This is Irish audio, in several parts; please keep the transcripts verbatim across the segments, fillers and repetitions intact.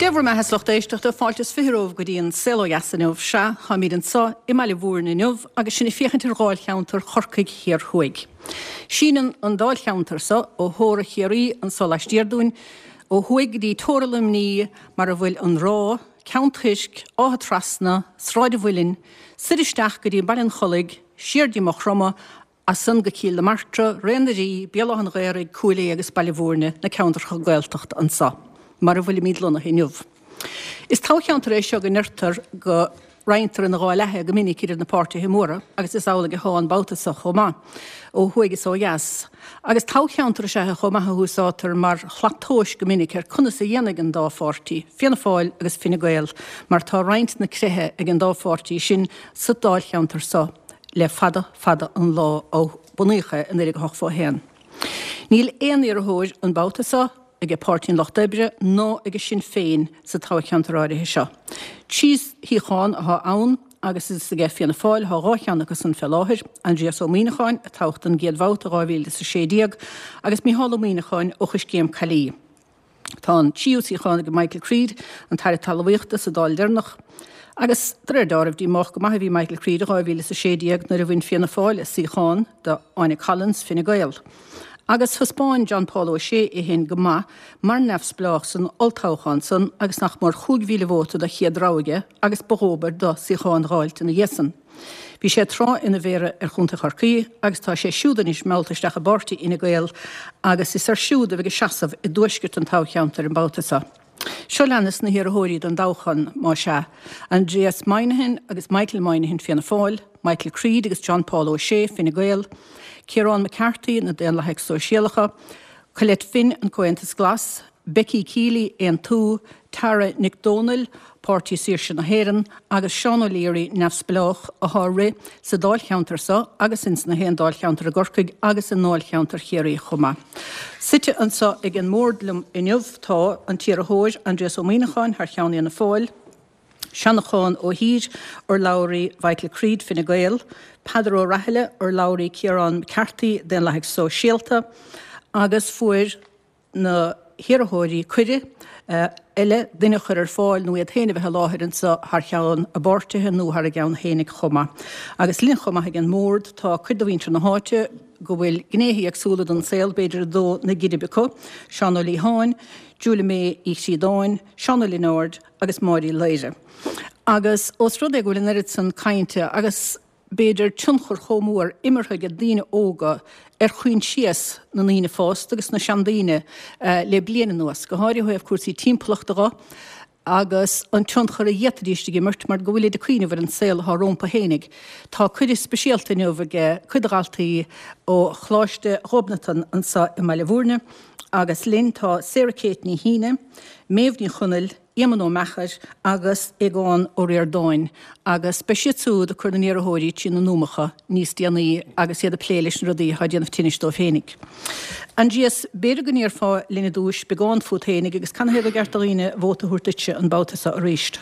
Dé bhur mbeatha, a lucht éisteachta, fáilte is fiche romhaibh go dtí an Saol Ó Dheas inniu. Sea, táimid anseo i mBaile Bhúirne inniu agus sinn ag féachaint ar dháilcheantar Chorcaigh Thiar Thuaidh. Síneann an dáilcheantar seo ó theora Chiarraí anso laistiar dúinn ó thuaidh go dtí teora Luimní mar a bhfuil an Ráth, Ceann Toisc, Áth Trasna, Sráid an Mhuilinn, soir isteach go dtí Baile an Chollaigh, siar dtí Maigh Chromtha, As san go Cill na Martra, Ré na Rí, Béal Átha an Ghaorthaidh, Cúil Aodha agus Baile Bhúirne, na ceantracha Gaeltachta anso, mar a bhfuilimid lonnaithe inniu. Is toghcheantar é seo go ndeirtear go roinntear ina dhá leath é go minic idir na páirtithe móra agus is amhlaidh atá an babhta seo chomh maith, ó thuaidh is ó dheas. Agus toghcheantar is ea é chomh maith a húsáidtear mar shlat tomhais go minic ar conas a dhéanfaidh an dá pháirtí, Fianna Fáil agus Fine Gael, mar tá roinnt na creiche ag an dá pháirtí sin sa dáilcheantar seo. le fada fada an lá ó bunaíodh é i naoi déag a hochtó a haon. Níl aon iarrthóir an babhta seo ag Páirtí an Lucht Oibre ná ag Sinn Féin sa toghcheantar áirithe seo. Trí shuíochán atá ann agus is aige Fianna Fáil atá dhá cheann acu san fé láthair, Aindrias Ó Muíneacháin, a toghadh don gcéad bhabhta i dhá mhíle is a sé déag, agus Mícheál Ó Muíneacháin ó Choiscéim Caillí. Tá an tríú suíochán ag Michael Creed, an tAire Talmhaíochta sa Dáil deireanach, agus de réir dealraimh díomách go maith a bhí Michael Creed i dhá mhíle is a sé déag nuair a bhain Fianna Fáil a suíochán de Áine Collins, Fine Gael. Agus thaispeáin John Paul O'Shea é féin go maith mar neamhspleách san olltoghchán san agus nach mór chúig mhíle vóta de chéad rogha aige agus ba dhóbair do suíochán a dh'fháilt ina dhiaidh san. Bhí sé tráth ina mhéara ar Chontae Chorcaí agus tá sé siúd anois meallta isteach i bpáirtí Fhine Gael agus is air siúd a bheidh ag seasamh i dtuaisceart an toghcheantair an babhta seo. Seo leanas na hiarrthóirí don dtoghchán, más ea, Aindrias Moynihan agus Michael Moynihan, Fianna Fáil, Michael Creed agus John Paul O'Shea, Fine Gael, Ciarán McCarthy, na Daonlathaigh Sóisialacha, Colette Finn, an Comhaontas Glas, Becky Keeley, Aontú, Tara Nic Dhomhnaill, Páirtí Saoirse na hÉireann, agus Seán O'Leary, Neamhspleách, athá ag rith sa dáilcheantar seo agus ins na haon dáilcheantar i gCorcaigh agus i ndáilcheantar Chiarraí chomh maith. Suite anso ag an mbord liom inniu tá an t-iarrthóir, Aindrias Ó Muíneacháin, thar cheann Fhianna Fáil, Seanachán Ó hÍr, urlabhraí Mhichael Creed, Fine Gael, Peadar Ó Rathile, urlabhraí Ciarán McCarthy, Daonlathaigh Sóisialta, agus fuair na hiarrthóirí cuireadh eile duine a chur ar fáil nó iad féin a bheith i láthair anseo thar cheann a bpáirtithe nó thar a gceann féinig chomh maith. Agus linn chomh maith ag an mbord tá cuid de mhuintir na háite go bhfuil gnéithe éagsúla den saol b'fhéidir ag dó na geirbe acu, Seán Ó Liatháin, Julia May Uí Chríodáin, Seán Ó Lionáird agus Máire Uí Laoire. Agus ós rud é go bhfuil an oiread san cainte agus b'fhéidir, tionchar chomh mór imeartha ag daoine óga ar choinsias na ndaoine fásta agus na seandaoine le bliain anuas, go háirithe ó thaobh cúrsaí timpeallachta dho agus an tionchar a d'fhéadfaidís ag imirt mar go bhfuilid ag cuimhneamh ar an saol atá rómpa fhéinig. Tá cuireadh speisialta inniu ag cuid de dhaltaí ó Choláiste Ghobnatan anso i mBaile Bhúirne agus linn tá Sarah Kate Ní Shíne, Méabh Ní Chonaill, Éamonn Ó Meachair agus Aogán Ó Ríordáin agus beidh siad siúd ag cur na n-iarrthóirí trí na n-úmacha níos déanaí agus iad ag plé leis na rudaí atá ag déanamh tinnis dóibh féinig. Aindrias, b'fhéidir go ndéarfá linn i dtúis beagán fút féinig agus canathaobh gur ceart do dhaoine vóta a thabhairt duitse an babhta seo arís?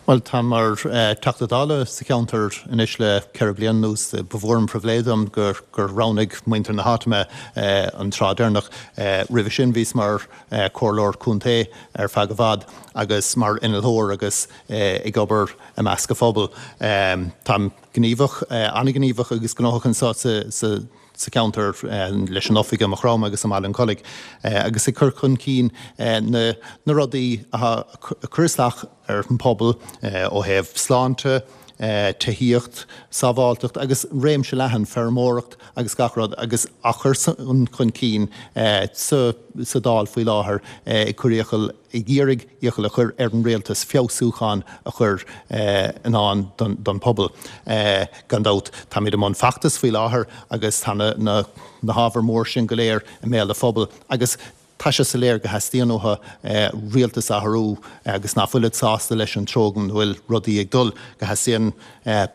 Bhuel, táim mar Teachta Dála sa cheantar anois le ceithre bliana anuas. Ba mhór an pribhléid dom gur roghnaigh muintir na háite mé an tráth deireanach. Roimhe sin bhíos mar comhairleoir contae ar feadh i bhfad agus mar innealtóir agus ag obair i measc an phobail. Táim gníomhach, an-ghníomhach agus gnóthach anseo sa cheantar leis an oifig i Maigh Chromtha agus i mBaile an Chollaigh agus ag cur chun cinn na rudaí atá ag cur isteach ar an bpobal ó thaobh sláinte, tithíocht, sábháilteacht agus réimse leathan, feirmeoireacht agus gach rud agus á chur chun cinn sa Dáil faoi láthair ag cur iachall, ag iarraidh iachall a chur ar an rialtas feabhsúcháin a chur i ndán don phobal. Gan dabht, táimid i mbun feachtais faoi láthair agus tá na hábhair mór sin go léir i mbéal an phobail agus Tá sé soiléir go theastaíonn uathu rialtas a athrú agus nach bhfuilid sásta leis an treo ina bhfuil rudaí ag dul, go theastaíonn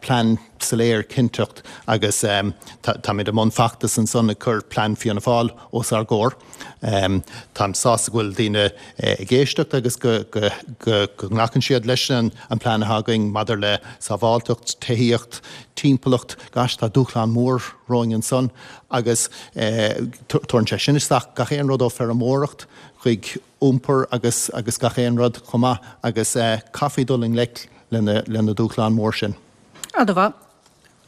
plean soiléir, cinnteacht agus táimid i mbun feachtas ansan ag cur plean Fianna Fáil os ár gcomhair. Táim sásta go bhfuil daoine ag éisteacht agus go nglacann siad leis an plean atá againn maidir le sábháilteacht, tithíocht, timpeallacht, gosh tá dúshlán mór romhainn ansan. Agus tabharann sé sin isteach gach aon rud ó feirmeoireacht chuig iompar agus agus gach aon rud chomh maith agus caithfí dul i ngleic lena lena dúshlán mór sin. Ana-mhaith.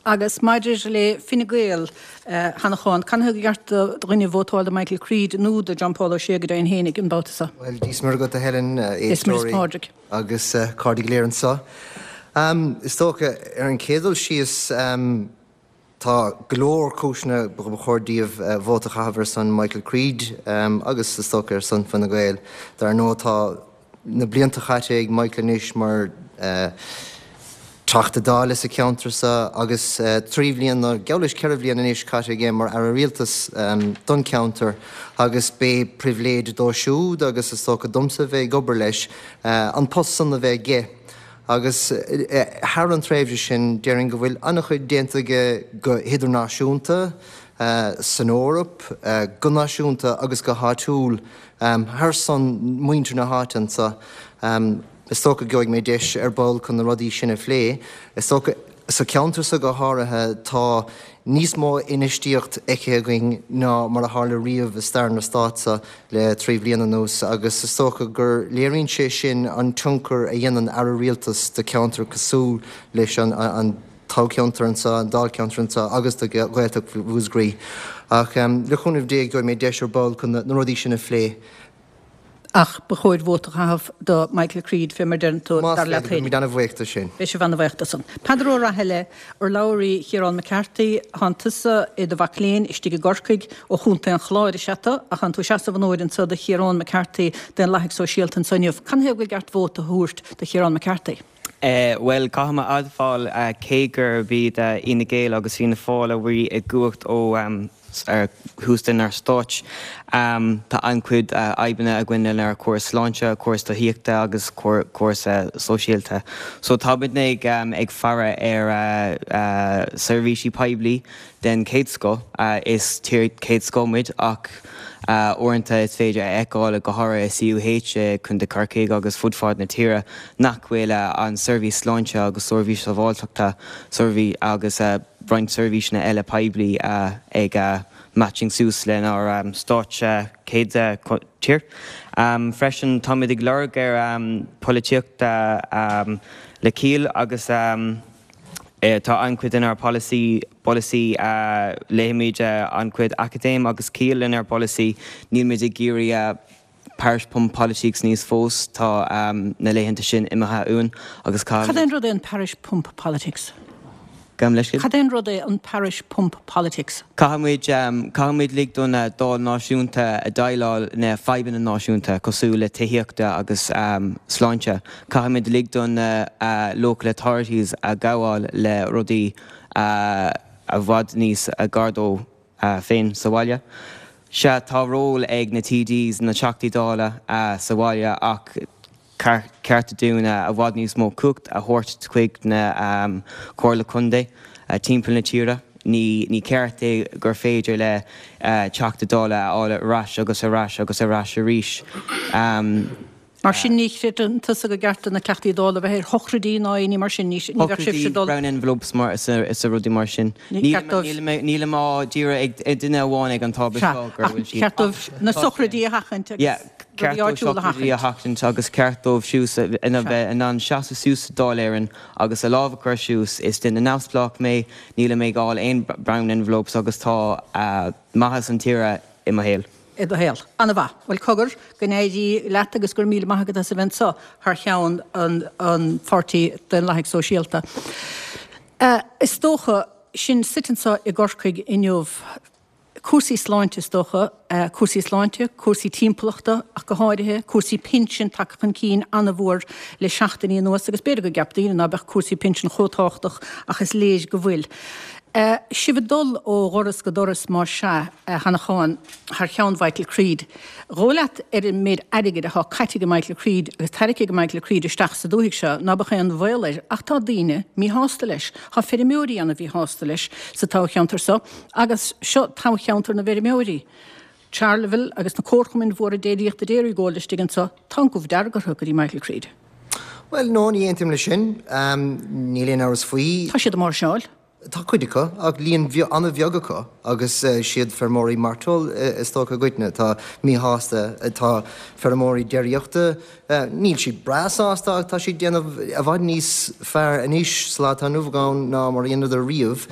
Agus maidir le Fine Gael, a Sheanacháin, canathaobh gur cheart do dhuine vótáil do Michael Creed nó do John Paul Ó Sé go deimhin fhéinig an babhta seo? Bhuel, Dia 's Muire agat a Helen, Dia 's Muire is Pádraig. Agus cairde go léir anseo. Is dócha, ar an chéad dul síos, tá go leor cúiseanna ba chóir daoibh vóta a chaitheamh ar son Michael Creed agus is dócha ar son Fine Gael. Dar ndóigh tá na blianta caite ag Michael anois mar Teachta Dála sa cheantar seo agus trí bhliana, geall leis ceithre bhliana anois caite aige mar Aire Rialtais don cheantar agus b'é pribhléid dó siúd agus is dócha domsa bheith ag obair leis an post san a bheith aige. Agus thar an tréimhse sin, déarfainn go bhfuil an-chuid déanta aige go hidirnáisiúnta, san Eoraip, go náisiúnta agus go háitiúil thar son muintir na háite anseo. Is dócha go gheobhaidh mé deis ar ball chun na rudaí sin a phlé. Is dócha, sa cheantar seo go háirithe, tá níos mó infheistíocht feicthe againn ná mar a tharla riamh i stair na Stát seo le trí bhliana anuas agus is dócha gur léiríonn sé sin an tionchar a dhéanann Aire Rialtais do cheantar cosúil leis an toghcheantar anseo, an dáilcheantar anseo agus do Ghaeltacht Mhúscraí. Ach le cúnamh Dé gheobhaidh mé deis ar ball chun na rudaí sin a phlé. Ach ba chóir vóta a chaitheamh do Michael Creed, fé mar deireann tú, Más dar leat féidir, féin. beimid ana-bhuíoch de sin. Beidh sibh ana-bhuíoch de san. Peadar Ó Rathaille, urlabhraí Chiarán McCarthy, Thánn tusa i do mhac léinn istigh i gCorcaigh, ó Chontae an Chláir is ea tú, ach thánn tú ag seasamh an uair anso do Chiarán McCarthy, Daonlathaigh Sóisialta anso inniu. Canathaobh gur gceart vóta a thabhairt do Chiarán McCarthy? Bhuel, caithfidh mé a admháil, cé gurb iad Fhine Gael agus Fianna Fáil a bhí i gcumhacht ó thús lenár stáit, tá an-chuid fhadhbanna againn lenár córas sláinte, córas tithíochta agus córas sóisialta. So táimidne ag faire ar seirbhísí poiblí den chéad scoth. Is tír chéad scoth muid ach uaireanta is féidir a fheiceáil, go háirithe i C U H i Contae Corcaigh agus fud fad na tíre, nach bhfuil an seirbhís sláinte agus seirbhís sábháilteachta seirbhís agus roinnt seirbhíseanna eile poiblí ag matching suas lenár stáit chéad tír. Freisin táimid ag lorg ar polaitíocht le ciall agus tá an-chuid inár polasaí, polasaí, léimid an-chuid acadéim agus ciall inár bpolasaí, nílmid ag iarraidh parish pump politics níos fós, tá na laethanta sin imithe uainn agus Cad é an rud é an parish pump politics? Gabh mo leithscéal? Cad é an rud é an parish pump politics? Caithfimid, caithfimid lig don Dáil náisiúnta a déileáil na fadhbanna náisiúnta cosúil le tithíochta agus sláinte. Caithfimid lig don local authorities a ghabháil le rudaí i bhfad níos gar dóibh féin sa bhaile. Sea, tá ról ag na T Ds, na Teachtaí Dála, sa bhaile ach ceart dúinn i bhfad níos mó cumhacht a thabhairt chuig na Comhairle Contae timpeall na tíre. Ní ní ceart é gur féidir le Teachta Dála a fháil ar ais agus ar ais agus ar ais arís. Mar sin ní chreideann tusa go gceart do na Teachtaí Dála bheith ar shochraidí ná aon ní mar sin, ní bheadh sibhse dul. Brown envelopes mar is a rudaí mar sin. Nílim á d'iarraidh ag duine amháin ag an tábla seo gur bhfuil siad. Ceart dóibh na sochraidí a sheachaint agus rudaí áitiúla a sheachaint. A sheachaint agus ceart dóibh siúd ina bheith in ann seasamh suas sa Dáil Éireann agus a lámh a chur suas. Is duine neamhspleách mé, nílim ag fháil aon brown envelopes agus tá maitheas an tíre i mo shaol. I do shaol. Ana-mhaith. Bhuel, cogar, go n-éirí leat agus go raibh míle maith agat as a bheith anseo thar cheann an an Pháirtí Daonlathaigh Sóisialta. Is dócha, sinn suite anseo i gCorcaigh inniu, cúrsaí sláinte is dócha, cúrsaí sláinte, cúrsaí timpeallachta ach go háirithe, cúrsaí pinsin tagtha chun cinn ana-mhór le seachtainí anuas agus b'fhéidir go gceap daoine ná beadh cúrsaí pinsin chomh tábhachtach ach is léir go bhfuil. Sibh ag dul ó dhoras go doras más ea, a Sheanacháin, thar cheann Mhichael Creed. Dhóigh leat ar an méid airgid atá caite ag Michael Creed agus tarraicthe ag Michael Creed isteach sa dúthaigh seo ná beadh aon bhaol air ach tá daoine míshásta leis. Tá feirmeoirí ana-mhíshásta leis sa toghcheantar seo agus seo toghcheantar na bhfeirmeoirí. Charleville agus na comharchumainn mhóra déiríochta Dairygold istigh anseo, tá an gomh dearg orthu go dtí Michael Creed. Bhuel, no, ní aontaím leis sin. Níl aon amhras faoi. Tá siad ag máirseáil. Tá cuid acu, ach líon an-bheag acu, agus siad feirmeoirí mairteoil is dócha i gcoitinne atá míshásta. Tá feirmeoirí déiríochta, níl siad breá sásta ach tá siad déanamh i bhfad níos fearr anois sa lá atá inniu ann ná mar a dheineadar riamh,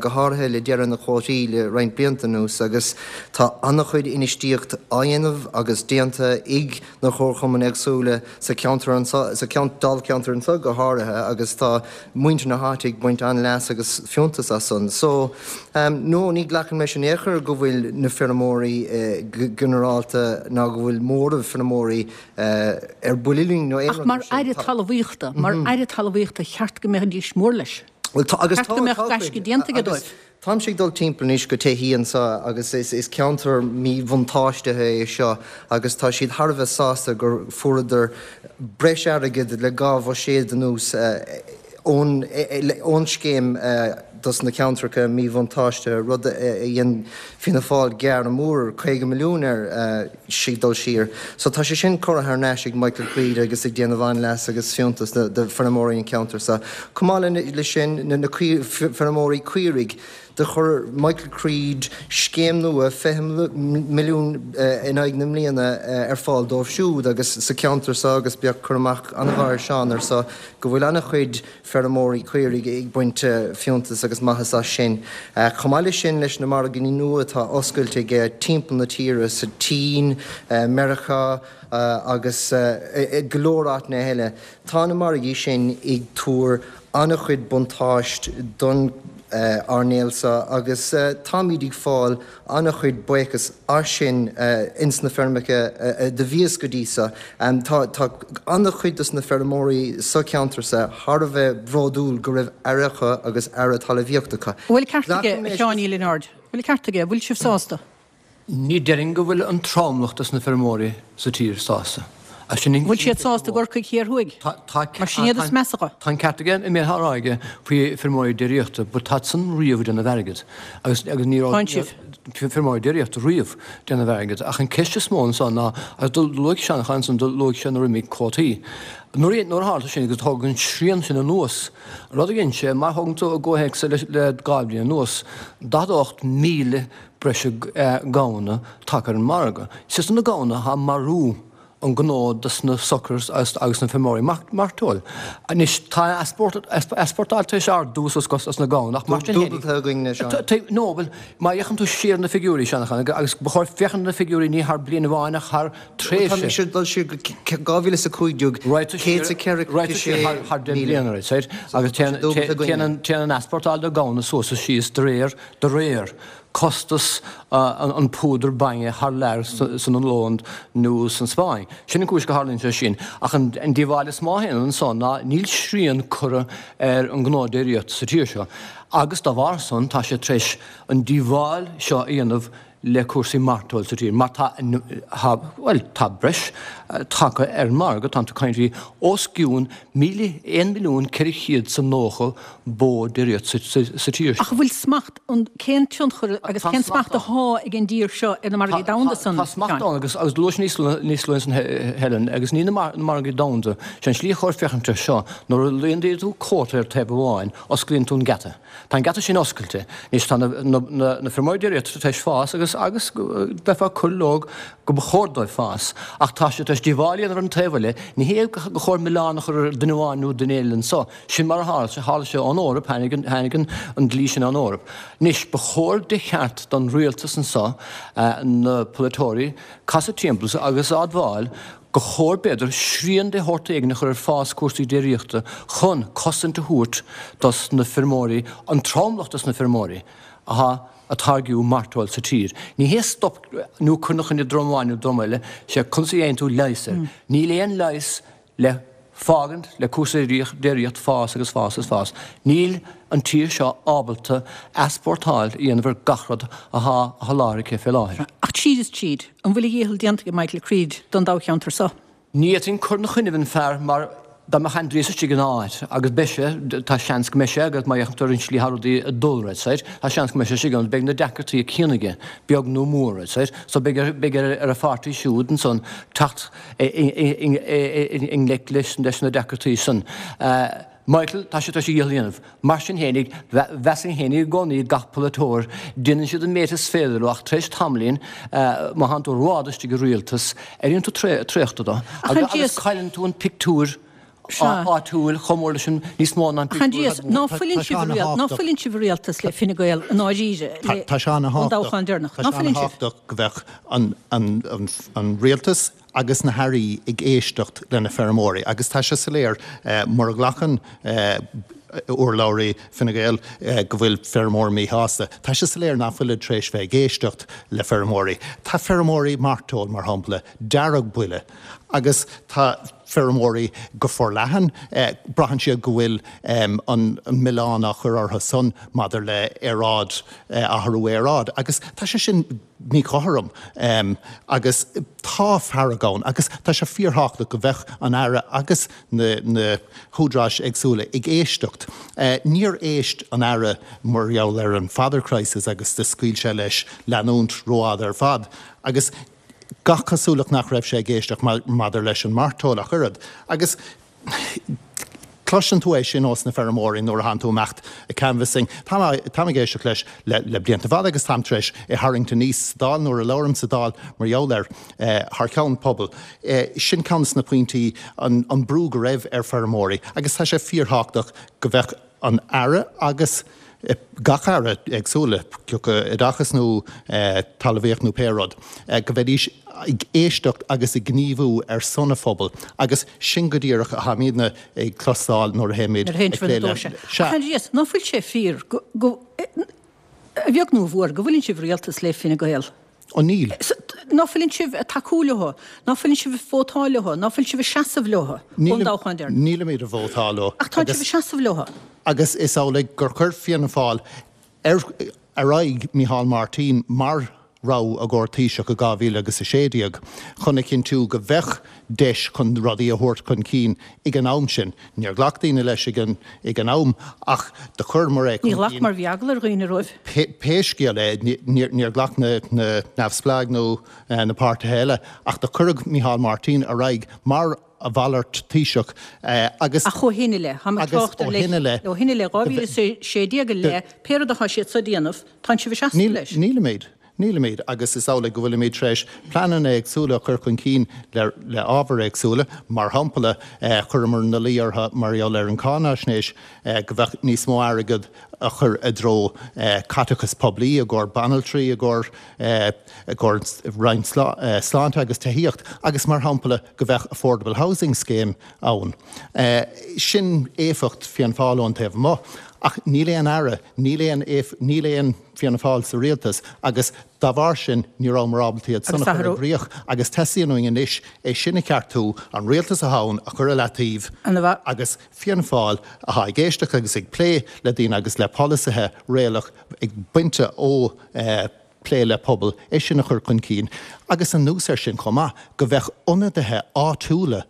go háirithe le deireadh na cuótaí le roinnt blianta anuas, agus tá an-chuid infheistíocht á dhéanamh agus déanta ag na comharchumainn éagsúla sa cheantar anseo, sa dáilcheantar anseo go háirithe, agus tá muintir na háite ag baint an-leas agus fiúntas as san. So, no, ní ghlacann mise in aon chor go bhfuil na feirmeoirí go ginearálta ná go bhfuil móramh feirmeoirí ar buile linn nó aon rud mar sin. Ach mar Aire Talmhaíochta, mar Aire Talmhaíochta, cheart go mbeidís mór leis. Bhuel, tá, agus Ceart go mbeadh gaisce déanta aige dóibh. Táimse ag dul timpeall anois go tithí anseo agus is ceantar míbhuntáistithe é seo agus tá siad thar a bheith sásta gur fuaireadar breis airgid le dhá bhuiséad anuas ón scéim dos na ceantracha míbhuntáistithe, rud a dhein Fianna Fáil gearradh mór, caoga milliún air ag dul siar. So tá sé sin curtha thar n-ais ag Michael Creed agus ag déanamh an-leas agus fiúntas do feirmeoirí an cheantair seo. Chomh maith le sin, na feirmeoirí caoirigh, do chuir Michael Creed scéim nua fiche milliún in aghaidh na mbliana ar fáil dóibh siúd agus sa cheantar seo agus bheadh cur amach an-mhaith ar Seán air seo go bhfuil an-chuid feirmeoirí caoirigh ag baint fiúntas agus maitheas as sin. Chomh maith leis sin, leis na margaí nua atá oscailte aige timpeall na tíre, sa tSín, Meiriceá agus go leor áiteanna eile, tá na margaí sin ag tabhair an-chuid buntáist don earnáil seo agus táimid ag fáil an-chuid buíochas as sin ins na feirmeacha do bhíos go dtí seo. Tá an-chuid dos na feirmeoirí sa cheantar seo thar a bheith bródúil go raibh aire acu agus aire talamhaíochta acu. An bhfuil ceart aige, a Sheáin Uí Lionáird? An bhfuil ceart aige? An bhfuil sibh sásta? Ní déarfainn go bhfuil an tromlach dos na feirmeoirí sa tír sásta. An bhfuil siad sásta i gCorcaigh Thiar Thuaidh? Mar sin iad is measa. Tá an ceart aige an méid atá á rá aige faoi feirmeoirí déiríochta, but táid san riamh ag déanamh airgid agus agus ní raibh feirmeoirí déiríochta riamh ag déanamh airgid. Ach an ceist is mó anso ná, agus do luaigh Seán ansan, do luaigh sé nuair a imigh cuótaí. Nuair a tharla sin agus tógadh an srian sin anuas, rud a dhein sé, má thógann tú i gcomhthéacs le dhá bhliain anuas, daichead a hocht míle breise gamhna tagtha ar an margadh. Is iad na gamhna atá ag marú an gnó dos na suckers agus na feirmeoirí mairteoil. Anois tá easpórtáil tar éis ardú suas costas na gamhna ach mar sin féin. Dúbalta againn anois, Seán. No, bhuel, má fhéachann tú siar ar na figiúirí, Seán, agus ba chóir féachaint ar na figiúirí ní thar bliain amháin ach thar tréimhse. Tá mise ag dul siar go dhá mhíle is a cúig déag, céad is a ceithre sé thar deich mbliana, right, agus téann an easpórtáil de ghamhna suas is síos de réir, de réir. costas an púdar bainne thar lear san Ollainn nó san Spáinn. Sin an cúis go tharlaíonn sé sin. Ach an díobháil is mó a théann ansan ná níl srian curtha ar an ngnó déiríochta sa tír seo agus dá bharr san tá sé tar éis an díobháil seo a dhéanamh le cúrsaí mairteoil sa tír mar tá, bhuel, tá breis tagtha ar an margadh, tá tú ag caint faoi os cionn míle, aon milliún ceithre chéad is nócha bó déiríochta sa tír seo. Ach an bhfuil smacht, cén tionchar agus cén smacht athá ag an dtír seo ar na margaí domhanda san? Tá smacht ann agus agus luaigh níos níos luaithe ansan Helen agus ní na margaí domhanda, sé an slí a chóir féachaint air seo, nuair a laghdaíonn tú cuóta ar taobh amháin, osclaíonn tú an geata. Tá an geata sin oscailte. Anois tá na na feirmeoirí déiríochta tar éis fás agus agus bheifeá ag cur leo go ba chóir dóibh fás ach tá siad tar éis díobháil a dhéanamh ar an taobh eile. Ní hé go chóir milleán a chur ar duine amháin nó duine eile anso. Sin mar a tharla sé. Tharla sé ón Eoraip, tháinig an, tháinig an, an dlí sin ón Eoraip. Anois, ba chóir de cheart don rialtas anso, na polaiteoirí, casadh timpeall agus a admháil gur chóir, b'fhéidir, srian de shórt éigin a chur ar fás cúrsaí déiríochta chun cosaint a thabhairt dos na feirmeoirí, an tromlach dos na feirmeoirí athá ag táirgiú mairteoil sa tír. Ní hé stop nó cur ina choinne dream amháin nó dream eile, sé conas a dhéanann tú leigheas air. Níl aon leigheas le fágaint le cúrsaí déiríocht fás agus fás agus fás. Níl an tír seo ábalta easpórtáil a dhéanamh ar gach rud athá á sholáthar aici fé láthair. Ach tríd is tríd, an bhfuil a dhícheall déanta ag Michael Creed don dáilcheantar seo? Ní fhéadfainn cur ina choinnibh an fear mar dá mbeadh Aindrias istigh ina áit, agus beidh sé, tá seans go mbeidh sé, agus má fhéachann tú ar an slí atá rudaí ag dul, right, sir, tá seans go mbeidh sé istigh ann, beidh na deacrachtaí céanna aige, beag nó mór, right, sir, so beidh ar, beidh ar, ar a pháirtí siúd ansan teacht i, i, i, i, i ngleic leis, leis na deacrachtaí san. Michael, tá sé tar éis a dhícheall a dhéanamh. Mar sin fhéinig, mheasfainn fhéinig i gcónaí gach polaiteoir, déanann siad an méid is féidir leo ach tar éis tamaillín, má thánn tú rófhada istigh i rialtas, éiríonn tú traochta dó agus cailleann tú an pictiúr áitiúil chomh mór leis an níos mó ná an pictiúr. Ná fuileann sibh i rialtas le Fine Gael i ndáiríre ón dtoghchán deireanach? Tá sé an-thábhachtach go bheadh an rialtas agus na hairí ag éisteacht le na feirmeoirí agus tá sé soiléir mura nglacann urlabhraí Fine Gael go bhfuil feirmeoirí míshásta. Tá sé soiléir nach bhfuilid tar éis bheith ag éisteacht le feirmeoirí. Tá feirmeoirí mairteoil, mar shampla, dearg-buile agus tá feirmeoirí go forleathan, braitheann siad go bhfuil an milleán á chur orthu san maidir le aeráid, athrú aeráide agus tá sé sin míchothrom agus tá fearg ann agus tá sé fíorthábhachtach go bheadh an Aire agus na na húdaráis éagsúla ag éisteacht. Níor éist an Aire mar gheall ar an fodder crisis agus do scaoil sé leis leanúint rófhada ar fad agus gach cosúlacht nach raibh sé ag éisteacht maidir leis an mairteoil ach oiread. Agus cloiseann tú é sin ós na feirmeoirí nuair a thánn tú amach ag canvassing. Táim ag éisteacht leis le blianta fada agus táim tar éis é tharraingt aníos sa Dáil nuair a labhraím sa Dáil mar gheall air thar ceann pobal. Sin ceann de na pointí, an brú go raibh ar feirmeoirí agus tá sé fíorthábhachtach go bheadh an Aire agus gach Aire éagsúla, cé acu oideachas nó talmhaíocht nó pé rud, go mbeidís ag éisteacht agus ag gníomhú ar son an phobail agus sin go díreach a tháimidne ag cloisteáil nuair a théimid ag plé le. Sea. Ach ná fuil sé fíor go, a bheag nó a mhór, go bhfuileann sibh i rialtas le Fine Gael? Ó níl. Ná fuileann sibh ag tacú leo? Ná fuileann sibh ag vótáil leo? Ná fuil sibh ag seasamh leo ón dtoghchán deireanach? Nílimid ag vótáil leo. Ach tá sibh ag seasamh leo. Agus is amhlaidh gur chuir Fianna Fáil ar aghaidh Micheál Martin mar rogha i gcomhair Taoiseach i dhá mhíle agus a sé déag chun a chinntiú go bheadh deis chun rudaí a thabhairt chun cinn ag an am sin. Níor ghlac daoine leis ag an ag an am ach do chuireamar é chun Níor ghlac cinn. mar bhí eagla ar dhaoine roimh. Pé scéal é, níor níor ghlac na na neamhspleáigh nó na páirtithe eile ach do cuireadh Micheál Martin ar aghaidh mar a mhalairt Taoiseach agus Ach ó shin i leith, táim ag agus trácht ó ar shin i leith, ó shin i leith, dhá mhíle is a sé déag i leith, pé rud atá siad so ag déanamh, tánn sibh ag seasamh Níl, leis. nílimid. Nílimid, agus is amhlaidh go bhfuilimid tar éis pleananna éagsúla a chur chun cinn le le ábhair éagsúla. Mar shampla, chuireamar ina luí orthu mar gheall ar an cáinaisnéis go bheadh níos mó airgead a chur i dtreo caiteachas poiblí i gcomhair banaltraí, i gcomhair i gcomhair roinn sláinte agus tithíocht agus mar shampla go bheadh Affordable Housing Scheme ann. Sin éifeacht Fianna Fáil ón taobh amuigh. Ach níl aon Aire, níl aon, níl aon Fianna Fáil sa rialtas agus dá bharr sin ní rabhamar ábalta iad san a chur i gcrích agus teastaíonn uainn anois é sin a cheartú, an rialtas atá ann a chur i leataobh agus Fianna Fáil atá ag éisteacht agus ag plé le daoine agus le polasaithe réalaíoch ag baint ó plé le pobal, é sin a chur chun cinn agus anuas air sin chomh maith, go bheadh ionadaithe áitiúla,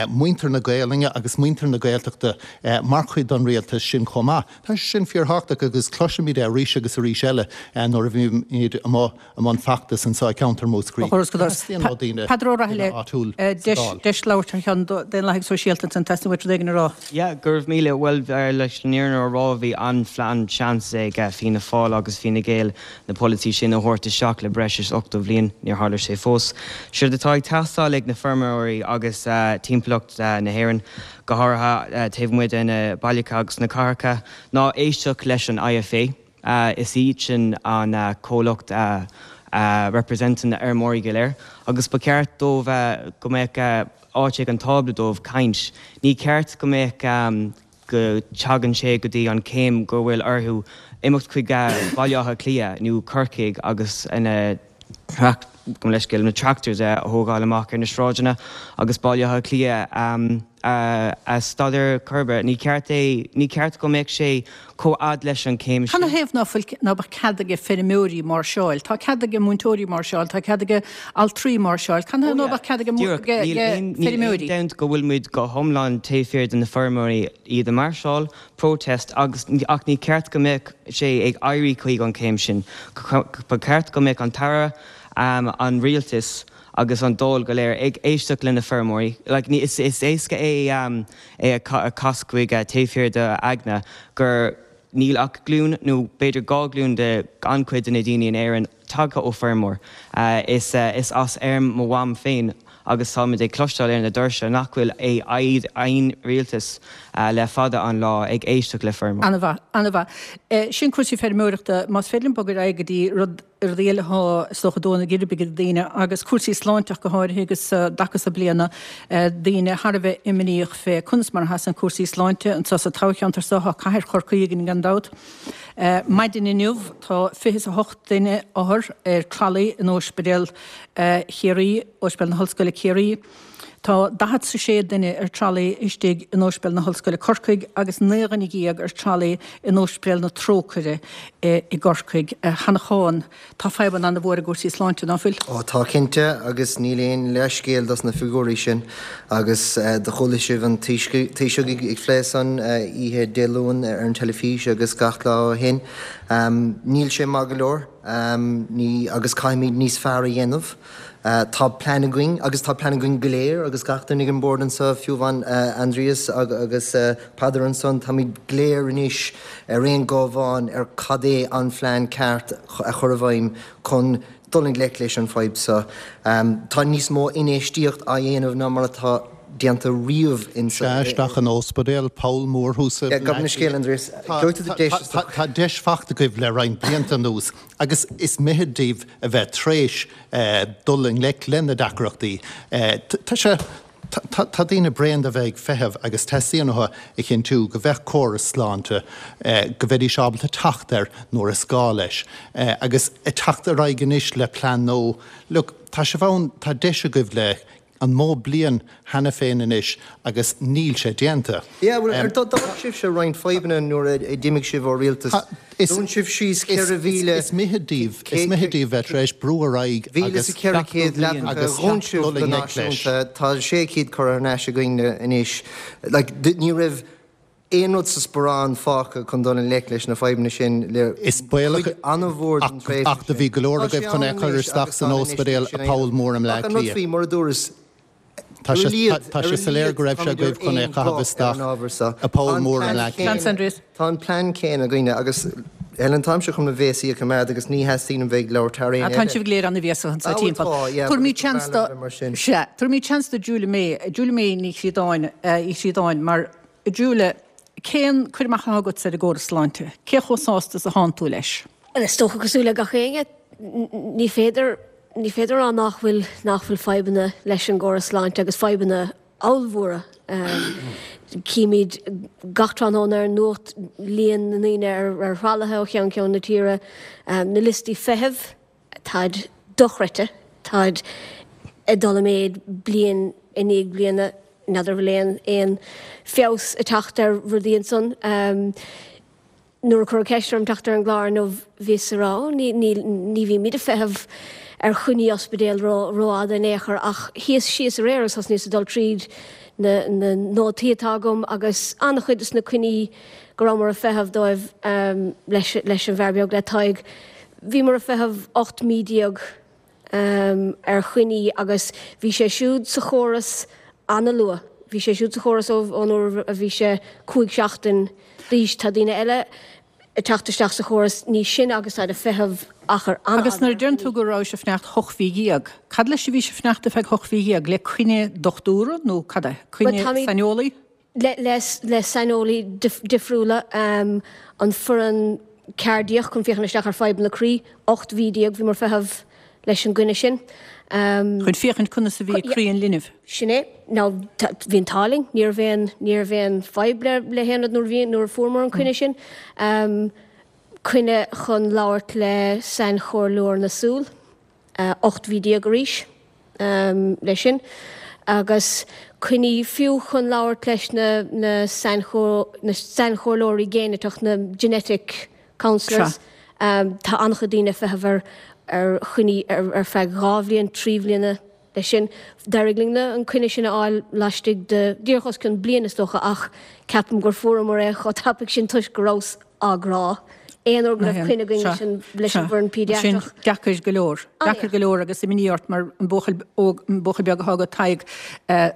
muintir na Gaelainne agus muintir na Gaeltachta mar chuid den rialtas sin chomh maith. Tá sé sin fíorthábhachtach agus cloisimid é arís agus arís eile nuair a bhímid amuigh i mbun feachtais anseo i gceantar Mhúscraí. Teastaíonn ó daoine Peadar Ó Rathaille, áitiúil sa Dáil. Deis labhairt thar cheann Daonlathaigh Sóisialta ansan, teastaíonn uait rud éigin a rá. Yeah, go raibh míle, bhuel, leis an fhírinne a rá, bhí an-seans ag Fianna Fáil agus Fine Gael na polasaí sin a thabhairt isteach le breis is ochtó bhliain, níor tharla sé fós. Séard atá ag teastáil ag na feirmeoirí agus timpeallacht na hÉireann, go háirithe taobh amuigh de na bailte agus na cathracha, ná éisteacht leis an I F A. Is iad sin an comhlacht a representann na feirmeoirí go léir agus ba cheart dóibh go mbeadh áit ag an tábla dóibh caint. Ní ceart go mbeadh go dtagann sé go dtí an céim go bhfuil orthu imeacht chuig Baile Átha Cliath nó Corcaigh agus na gabh mo leithscéal na tractors a thógáil amach ar na sráideanna agus Baile Átha Cliath a stad ar chor ar bith. Ní ceart é, ní ceart go mbeadh sé chomh fhad leis an chéim Cad sin. 'na thaobh ná fuil, ná beadh cead aige feirmeoirí máirseáil? Tá cead aige múinteoirí máirseáil, tá cead aige altraí máirseáil. Cad 'na thaobh Oh ná yeah, beadh cead aige díreach. Níl aon, níl aon feirmeoirí? dabht go bhfuil muid go hiomlán taobh thiar de na feirmeoirí, iad ag máirseáil, protest, agus, ach ní ceart go mbeadh sé ag éirí chuig an chéim sin. Ba cheart go mbeadh an tAire, an rialtas agus an Dáil go léir ag éisteacht le na feirmeoirí. Like, ní, is, is éasca é, um, é a chas chuig uh, taobh thiar de aigne gur níl ach glún nó b'fhéidir dhá ghlúin de an-chuid de na daoine in Éirinn tagtha ó feirmeoir. Uh, is, uh, is as fheirm mo mham féin agus táimid ag cloisteáil ar na doirse nach bhfuil é aon rialtas uh, le fada an lá ag éisteacht le feirmeoir. An-mhaith, an-mhaith. Eh, sin cúrsaí feirmeoireachta, más féidir linn bogadh ar aghaidh go dtí rud rudaí eile atá is dócha ag dó na geirbe ag daoine agus cúrsaí sláinte ach go háirithe agus i dtaca seo bliana daoine thar a bheith imníoch fé conas mar a sheasann cúrsaí sláinte anseo sa toghcheantar seo tá cathair Chorcaí againn gan dabht. Maidin inniu tá fiche is a hocht duine othar ar tralaí in Ospidéal Chiarraí, Ospidéal na hOllscoile Ciarraí. Tá daichead is a sé duine ar tralaí istigh in Ospidéal na hOllscoile Corcaigh agus naoi dhuine dhéag ar tralaí in Ospidéal na Trócaire i gCorcaigh. A Sheanacháin, tá fadhbanna an-mhór i gcúrsaí sláinte, ná fuil? Ó tá cinnte, agus níl aon leithscéal dos na figiúirí sin. Agus do chuala sibh an Taoiseach ag plé san oíche Dé Luain ar an teilifís agus gach lá ó shin. Níl sé maith go leor, ní, agus caithfimid níos fearr a dhéanamh. Tá plean againn, agus tá plean againn go léir, agus gach duine ag an bord anseo, fiú amháin Aindrias agus Peadar ansan, táimid go léir anois ar aon ghuth amháin ar cad é an phlean ceart a chur i bhfeidhm chun dul i ngleic leis an fadhb seo. Tá níos mó infheistíocht á dhéanamh ná mar atá déanta riamh in Sea, isteach in ospidéal, poll mór thuas i Gabh mo leithscéal, Aindrias. Tá deis fachta agaibh le roinnt blianta anuas agus is mithid daoibh a bheith tréis dul i ngleic le na deacrachtaí. Tá sé, tá daoine bréan de bheith ag feitheamh agus teastaíonn uathu a chinntiú go bheadh córas sláinte, go mbeidís ábalta teacht air nuair is gá leis. Agus ag teacht ar aghaidh anois le plean nua, look, tá sibh ann, tá deis agaibh le an mó bliain cheana féin anois agus níl sé déanta. Yeah, bhuel, ar d'fhág sibhse roinnt fadhbanna nuair a d'imigh sibh ó rialtas. Dún sibh síos ceithre mhíle. Is mithid daoibh, is mithid daoibh bheith tar éis brú ar aghaidh agus ceithre chéad leapacha a dhún sibh go náisiúnta, tá sé chéad curtha thar n-ais againn anois. Like, ní raibh aon rud sa sparán fágtha chun dul i ngleic leis na fadhbanna sin le Is baolach cuid an-mhór den tréimhse ach do sin. bhí go leor Tá sé agaibh chun ann é a chur anois isteach agus san tá an ospidéal infheistíocht a sin poll mór i mBleá Ach an rud Cliath. faoi, mar a dúras, Tá ar sé a laghad, tá ar sé a soiléir laghad go raibh sé táimid ar agaibh chun é a aon chaitheamh ghuth ar an isteach ábhar seo. a poll Tá an mór i plean mBleá Cliath. Seans, Aindrias. Tá an plean céanna againne agus Helen, táimse chun mo bhéasaí a choimeád agus ní theastaíonn uaim bheith ag labhairt thar éinne Tá eile. sibh go léir an-bhéasach anseo Ah, bhuel, timpeall. tá, yeah, Tabharfaimid but is seans breá do liom bheith mar sin. Sea, tabharfaimid seans do Julia May, Julia May Ní Chríodáin, Uí Chríodáin, mar Julia, cén cur amach atá agatsa ar an gcóras sláinte? Cé chomh sásta is atánn tú leis? Bhuel, is dócha cosúil le gach éinne, ní féidir, ní féidir a rá nach bhfuil, nach bhfuil fadhbanna leis an gcóras sláinte agus fadhbanna ollmhóra. Címid gach tráthnóna ar an nuacht líon na ndaoine ar thralaithe ó cheann ceann na tíre, na liostaí feithimh, táid dochreidte, táid ag dul i méid bliain i ndiaidh bliana, n'fheadar an bhfuil aon aon feabhas ag teacht ar rudaí ansan. Nuair a cuireadh ceist orm teacht ar an gclár inniu bhíos ag rá, ní, ní, ní bhímid ag feitheamh ar choinní ospidéil ró, rófhada in aon chor ach shuíos síos aréir agus thosnaíos ag dul tríd na, na nótaí atá agam agus an-chuid de na coinní go rabhamar ag feitheamh dóibh leis, leis an bhfear beag, le Tadhg. Bhíomar ag feitheamh ocht mí déag ar choinní agus bhí sé siúd sa chóras an-luath. Bhí sé siúd sa chóras ón uair a bhí sé cúig seachtain d'aois. Tá daoine eile ag teacht isteach sa chóras níos sine agus táid ag feitheamh achar Agus an-fhada nuair a ar deireann choinní. tú go rabhais ag fanacht hocht mhí dhéag, cad leis a bhís ag fanacht ar feadh hocht mhí dhéag? Le coinne dochtúra nó cad é? Bhuel, Coinne táimid saineolaí? le, le, le saineolaí difriúla, an foireann ceardiach chun féachaint isteach ar fadhbanna croí, ocht mhí déag bhíomar ag feitheamh leis an gcoinne sin. Chun féachaint conas a bhí croí an linbh. Sin é. Now, bhí an t-ádh linn, ní raibh aon, ní raibh aon fadhb le, le haon rud nuair a bhí, nuair a fuaireamar an coinne sin. Coinne chun labhairt le sainchomhairleoir na súl, ocht mhí déag arís. leis sin, agus coinní fiú chun labhairt leis na na sainchomhairleoirí géiniteach, na genetic counsellors. Tá an-chuid daoine ag feitheamh ar ar choinní ar feadh dhá bhliain, trí bhliana leis sin. D'éirigh linn an coinne sin a fháil laistigh de díreach os cionn bliain is dócha ach ceapaim gur fuaireamar é chomh tapaidh sin toisc go rabhas á gcrá. aon uair go raibh coinne againn leis an leis an bhfoireann péidiatrach. Sin deacair go leor. Deacair go leor agus imní ort mar an buachaill óg, an buachaill beag atá agat, Tadhg,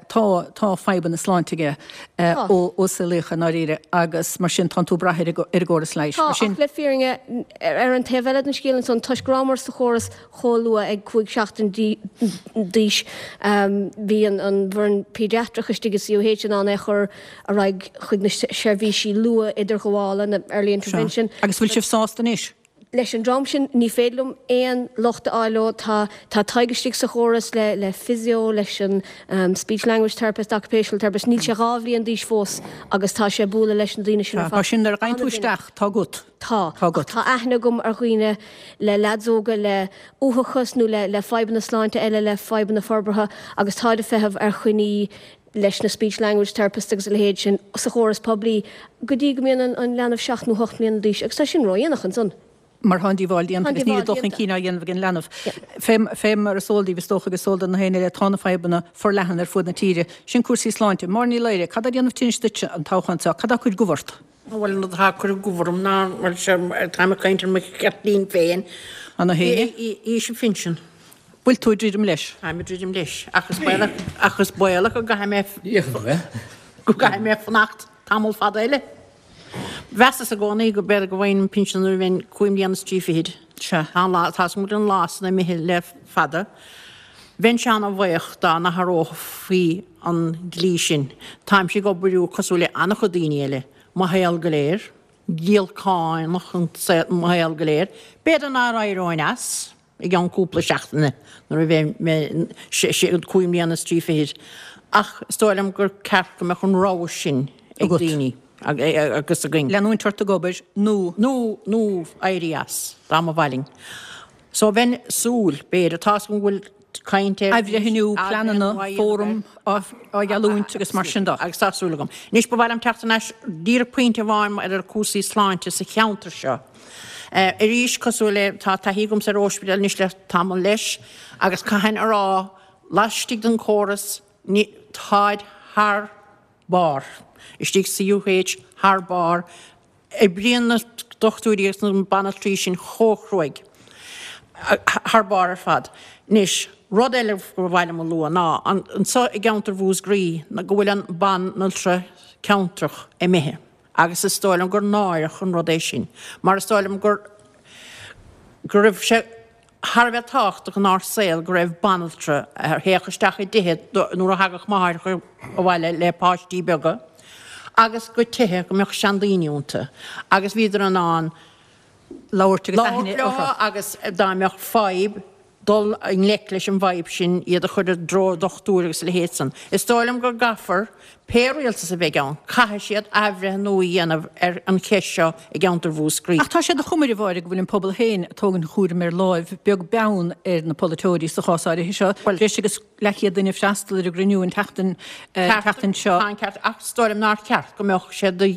tá, tá fadhbanna sláinte aige ó ó saolaíodh é i ndáiríre agus mar sin tánn tú ag brath ar an ar an gcóras leighis. Tá, ach le fírinne, ar an taobh eile den scéal ansan, toisc go rabhamar sa chóras chomh luath ag cúig seachtain d'aois, bhí an an bhfoireann péidiatrach istigh i CUH in ann é a chur ar aghaidh chuig na seirbhísí luath-idirghabhála, na early intervention. Agus bhfuil sibh sásta anois? Leis an dream sin, ní féidir liom aon locht a fháil leo. Tá tá Tadhg istigh sa chóras le le physio, leis an speech language therapist, occupational therapist. Níl sé dhá bhliain d'aois fós agus tá sé ag bualadh leis na daoine sin ar fad. Mar sin, nuair a ghabhann tú isteach, tá agat. Tá. Tá agat. Tá aithne agam ar dhaoine le leaids óga le uathachas nó le le fadhbanna sláinte eile, le fadhbanna forbartha agus táid ag feitheamh ar choinní leis na speech language therapists agus a leithéid sin sa chóras poiblí go dtí go mbíonn an leanbh seacht nó hocht mbliana d'aois agus tá sin ródhéanach ansan. mar tá an díobháil déanta agus níl dul chun cinn á dhéanamh ag an leanbh. Fé mar is eol daoibh is dócha agus is eol do na héinne eile tá na fadhbanna forleathan ar fud na tíre. Sin cúrsaí sláinte. Máire Ní Laoire, cad tá ag déanamh tinnis duitse an toghchán seo? Cad tá ag cur gomh ort? Bhuel, an rud atá ag cur gomh orm ná, bhuel, táim ag caint ar mo cheirtlín féin, aois an phinsin. Bhfuil tú ag druidim leis? Táim ag druidim leis, ach is baolach, ach is baolach go gcaithfidh mé, go gcaithfidh mé fanacht tamall fada eile. Mheasas i gcónaí go b'fhéidir go bhfaighinn an pinsean nuair a bheinn cúig mbliana is trí fichid. Sea. Tá an lá, tá 's agam go bhfuil an lá san imithe le fada. Bheinnse ana-bhuíoch dá n-athrófaí an dlí sin. Táimse ag obair cosúil le an-chuid daoine eile, mo shaol go léir, giolcánach an saol, mo shaol go léir. B'fhéidir nár éireoinn as. i gceann cúpla seachtaine nuair a bheidh mé cúig mbliana is trí fichid ach is dóigh liom gur ceart go mbeadh an rogha sin ag daoine agus againn. Leanúint ort ag obair nó. Nó nó éirí as, dá mba mhaith linn. So bheinn ag súil, b'fhéidir, tá 's agam go bhfuil caint ar. Athbhreithniú, pleananna, fóram á gheallúint agus mar sin de. Agus tá súil agam. Anois ba mhaith liom teacht thar n-ais díreach pointe amháin ar cúrsaí sláinte sa cheantar seo. Arís, cosúil le, tá taithí agamsa ar ospidéal anois le tamall leis agus caithfinn a rá, laistigh den chóras, ní, táid thar barr. Istigh sa UH, thar barr. Oibríonn na dochtúirí agus na banaltraí sin chomh cruaidh. Thar barr ar fad. Anois, rud eile gur mhaith liom a lua ná, anseo i gceantar Mhúscraí, go bhfuil an banaltra ceantrach imithe. Agus is dóigh liom gur náireach an rud é sin, mar is dóigh liom gur, go raibh sé thar a bheith tábhachtach inár saol go raibh banaltra a théadh isteach i dtithe nuair a thagadh máithreacha abhaile le páistí beaga agus go tithe go mbeadh seandaoine iontu agus bhíodar in ann labhairt agus aithne labhairt leo agus dá mbeadh fadhb dul i ngleic leis an bhfadhb sin, iad a chur i dtreo dochtúir agus a leithéid san. Is dóigh liom go gcaithfear, pé rialtas a bheidh ann, caithfidh siad athbhreithniú a dhéanamh ar an cheist seo i gceantar Mhúscraí. Ach tá sé de chuma ar a Mháire go bhfuil an pobal féin ag tógaint an chúraim ar láimh, beag beann ar na polaiteoirí sa chás áirithe seo. Breis agus leathchéad duine ag freastal ar an gcruinniú an tseachtain tseachtain seo. Tá an ceart, ach is dóigh liom nár cheart go mbeadh sé de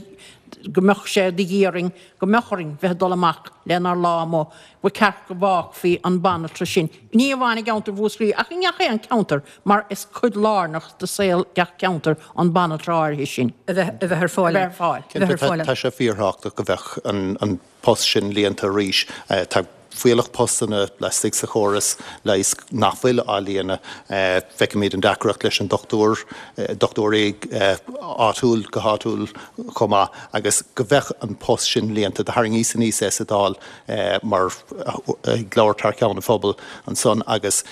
go mbeadh sé de dhíth orainn, go mbeadh orainn bheith ag dul amach lenár lá amuigh, ba cheart go bhfágfaí an banaltra sin, ní amháin i gceantar Mhúscraí ach i ngach aon cheantar mar is cuid lárnach de saol gach ceantar an banaltra áirithe sin. a bheith a bheith ar fáil. A bheith ar fáil. A bheith ar fáil. Tá sé fíorthábhachtach go mbeadh an post sin líonta arís. Tá fuíollach postanna laistigh sa chóras leighis nach bhfuil á líonadh. Feicimid an deacracht leis an dochtúir, dochtúirí áitiúil go háitiúil chomh maith agus go mbeadh an post sin líonta. Do tharraingíos aníos é sa Dáil mar ag labhairt thar ceann an phobail ansan agus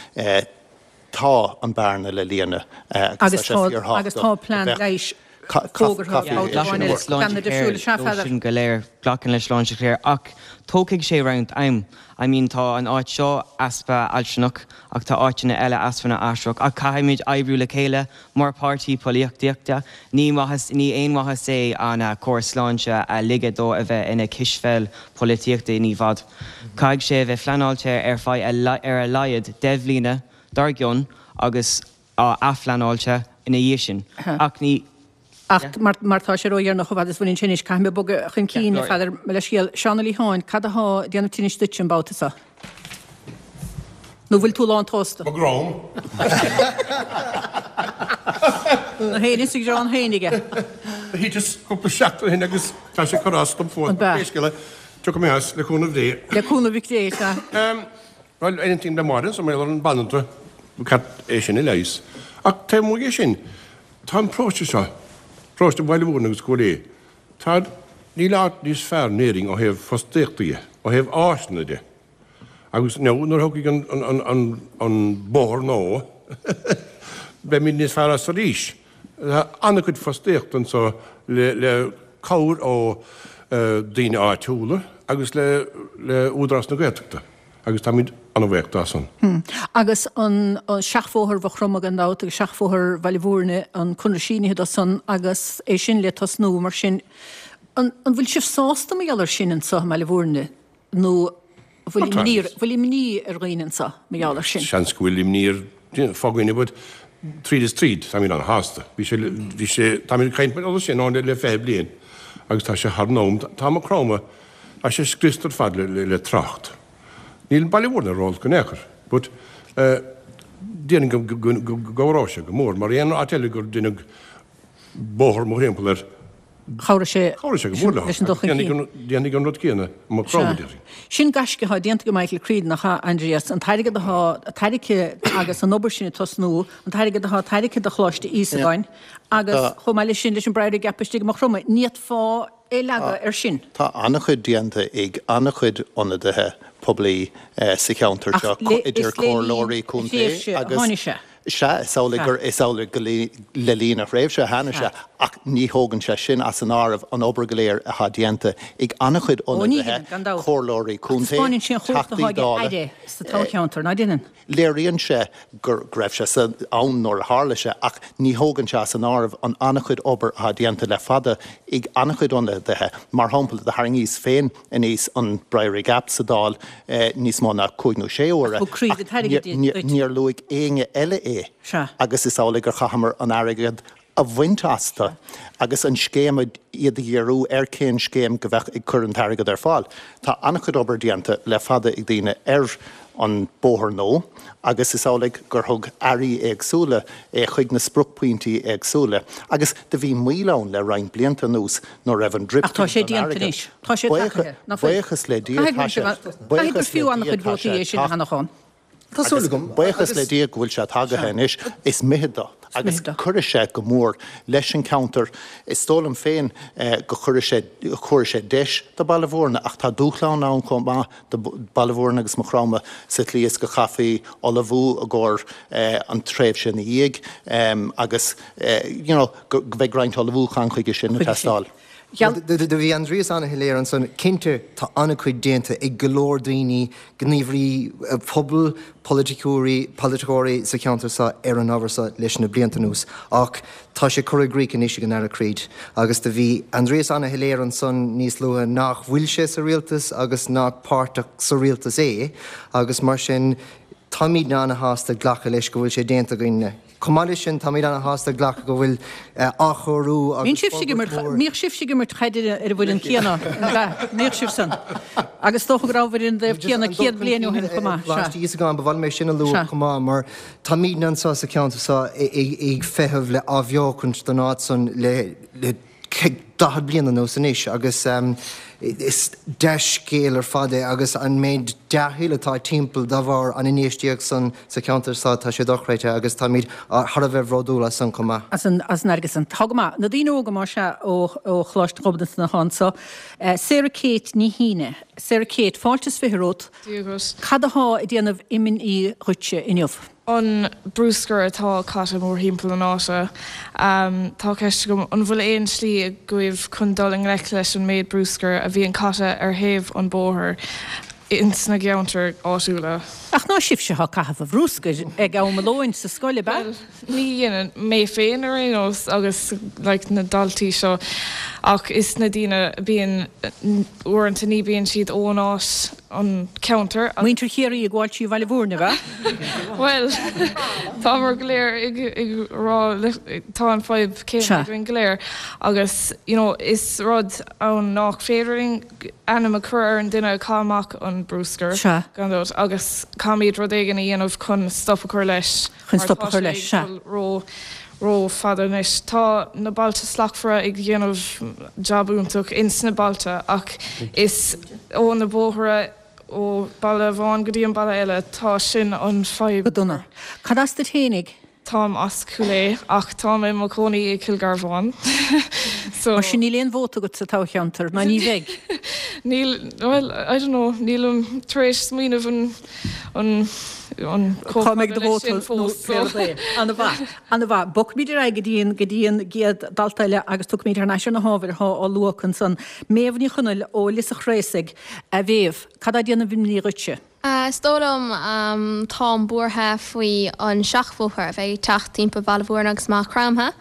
tá an bearna le líonadh agus tá sé fíorthábhachtach Agus tá plean leighis fógartha Glacaim le Sláintecare leo sin go léir, glacaim le Sláintecare ach tógfaidh sé roinnt am. I mean tá an áit seo easpa altranach ach tá áiteanna eile easpa na altrach ach caithfimid oibriú le chéile mar páirtí polaitíochta. Ní maitheas, ní aon mhaitheas é an córas sláinte a ligeadh dó a bheith ina cispheil polaitíochta i bhfad. Caithfidh sé a bheith phleanáilte ar feadh ar a laghad deich mbliana dár gcionn agus á athphleanáilte ina dhiaidh sin. Ach ní. Ach mar tá sé ródheireanach chomh fada is a bhaineann sin anois, caithfidh mé bogadh chun cinn, a Pheadair, mo leithscéal. Seán Ó Liatháin, cad athá ag déanamh tinnis duitse an babhta seo? Nó bhfuil tú lán tsásta? Mo dhrong. Na héinne sa ghreann féin aige. Do thiteas cúpla seachtain ó shin agus tá sé ag cur as dom fós. An b'ea? Pé scéal é, Tiocfaidh mé as, le cúnamh Dé. Le cúnamh Dé, sea. Bhuel, aontaím le Máire anso mar gheall ar an banaltra, ba cheart é sin a leigheas. Ach taobh amuigh dhe sin, tá an paróiste seo, paróiste Bhaile Mhúirne agus Cúil Aodha, tá, níl áit níos fearr in Éirinn ó thaobh fostaíochta dhe, ó thaobh áiseanna de. Agus now, nuair a thiocfaidh an, an, an, an bóthar nua, beimid níos fearr as arís. Tá an-chuid fostaíochta anso le, le cabhair ó daoine áitiúla agus le, le Údarás na Gaeltachta agus táimid an-bhuíoch dá son. Agus an seachbhóthar Mhaigh Chromtha gan dabht agus seachbhóthar Bhaile Mhúirne, an conradh sínithe dó san agus é sin le tosnú, mar sin, an bhfuil sibh sásta mar gheall air sin anso i mBaile Mhúirne nó bhfuil imní, bhfuil imní ar dhaoine anso mar gheall air sin? Seans go bhfuil imní ar fá dhaoine but tríd is tríd táimid an-shásta. Bhí sé, bhí sé, táimid ag caint mar gheall air sin ann le fiche bliain agus tá sé thar an am, tá Maigh Chromtha, tá sé scriosta ar fad le, le, le trácht. Níl Baile Mhúirne ró-olc in aon chor but déarfainn go, go, go, go gcabhróidh sé go mór mar aon áit eile gur deineadh bóthar mórthimpeall air, Chabhraigh sé Chabhraigh sé go mór leo. leis an dul chun cinn. Déanfaidh an rud céanna i Maigh Chromtha, déarfainn. Sin gaisce atá déanta ag Michael Creed, nach ea, Aindrias? An t-airgead atá tairgthe agus an obair sin ag tosnú, an t-airgead atá tairgthe do Choláiste Íosagáin agus chomh maith leis sin leis an Briery Gap istigh i Maigh Chromtha, ní fhéadfá é a leagadh air sin. Tá an-chuid déanta ag an-chuid ionadaithe poiblí sa cheantar seo, idir comhairleoirí contae agus. Sea, is amhlaidh gur, is amhlaidh go le linn a thréimhse a tháinig sé, ach ní thógann sé sin as an áireamh an obair go léir atá déanta ag an-chuid ionadaithe, comhairleoirí contae, Teachtaí Dála. Léiríonn sé go raibh sé ann nuair a tharla sé, ach ní thógann sé as an áireamh an an-chuid obair atá déanta le fada ag an-chuid ionadaithe. Mar shampla, do tharraingíos féin aníos an Briery Gap sa Dáil níos mó ná cúig nó sé huaire, ach níor luaigh éinne eile é agus is amhlaidh gur chaitheamar an airgead a bhaint astu agus an scéim iad a dhíriú ar cén scéim go bheadh ag cur an t-airgead ar fáil. Tá an-chuid obair déanta le fada ag daoine ar an bóthar nua agus is amhlaidh gur thug airí éagsúla é chuig na spriocphointí éagsúla agus do bhí moill ann le roinnt blianta anuas nuair raibh an drip Ach tá sé déanta anois. Tá sé tagaithe. Nach bhfuil? Buíochas le Dia tá sé Caithfidh gur fiú an-chuid vótaí é sin a cheannach. Tá súil agam. Buíochas le Dia go bhfuil sé tagaithe anois. Is mithid dó. Agus cuirfidh sé go mór leis an cheantar. Is dóigh liom féin go chuirfidh sé, thabharfaidh sé deis do Baile Mhúirne ach tá dúshlán ann chomh maith do Baile Mhúirne agus Maigh Chromtha sa tslí is go chaithfí ullmhú i gcomhair an tréimhse ina dhiaidh agus you know go mbeidh roinnt ullmhúchán chuige sin ag teastáil. Do bhí Aindrias an-shoiléir ansan. Cinnte, tá an-chuid déanta ag go leor daoine, gníomhairí pobail, polaiticeoirí, polaiteoirí sa cheantar seo ar an ábhar seo leis na blianta anuas ach tá sé curtha i gcrích anois ag an Aire Creed agus do bhí Aindrias an-shoiléir ansan níos luaithe nach bhfuil sé sa rialtas agus nach páirteach sa rialtas é agus mar sin táimidne an-shásta glacadh leis go bhfuil sé déanta againne. Chomh maith leis sin, táimid an-shásta glacadh go bhfuil athchóiriú agus Bíonn sibhse ag imirt, mbíodh sibhse ag imirt caide ar an bhfoireann céanna, an ea? Mbíodh sibh san. Agus is dócha go rabhabhair ar an dtaobh céanna céad bliain ó shin chomh maith. Sea. Coláiste Íosagáin, ba mhaith liom é sin a lua chomh maith mar táimidne anseo sa cheantar seo ag feitheamh le athbheochaint don áit san le daichead bliain anuas anois agus is dea-scéal ar fad é agus an méid dea-thoil atá timpeall dá bharr an infheistíocht san sa cheantar seo, tá sé dochreidte agus táimid thar a bheith bhródúil as san chomh maith. As an airgead san. Tá go maith. Na daoine óga más ea ó Choláiste Ghobnatan atá anso. Sarah Kate Ní hAoine. Sarah Kate, fáilte is fiche romhat. Dia dhuit. Cad atá ag déanamh imní dhuitse inniu? an bruscar atá caite mórthimpeall an áite. Tá ceist agam, an bhfuil aon slí agaibh chun dul i ngleic leis an méid bruscair a bhíonn caite ar thaobh an bóthair ins na gceantair áitiúla? Ach ná sibhse atá ag caitheamh an bhruscair ag am a lóin sa scoil, ab ea? Bhuel, ní dhéanann, mé féin ar aon nós agus like na daltaí seo ach is na daoine a bíonn, uaireanta ní bíonn siad ón áit, an ceantar agus. Muintir Chiarraí ag gabháil trí Bhaile Mhúirne, ab ea? Bhuel, táimid go léir ag rá, tá an fadhb céanna againn go léir agus you know is rud ann nach féidir linn ainm a chur ar an duine a chaith amach an bruscar, gan dabht, agus caithfimid rud éigin a dhéanamh chun stop a chur leis Chun mar stop a tá chur sé leis, ag sea. dul ró, ró-fhada anois. Tá na Bailte Slachtmhara ag dhéanamh jab iontach ins na bailte ach is ó na bóithre ó baile amháin go dtí an baile eile, tá sin an fadhb. Go dona. Cad as duit fhéinig? Táim as Cúil Aodha ach táim i mo chónaí i Cill Garbháin. So. Mar sin níl aon vóta agat sa toghcheantar, ná ní bheidh? Níl, bhuel, I don't know, nílim tar éis smaoineamh an, an, an chomh Cá mbeidh fada do leis vóta sin nó fós, pé so. rud é. Ana-mhaith, ana-mhaith. Bogfaimid ar aghaidh go dtí an, go dtí an gcéad dalta eile agus tiocfaimid thar n-ais ar na hábhair atá á lua acu ansan. Méabh Ní Chonaill ó Lios a' Chraosaigh. A Mhéabh, cad á déanamh imní dhuitse? Is dóigh liom, táim buartha faoi an seachbhóthar a bheidh ag teacht timpeall Bhaile Mhúirne agus Maigh Chromtha.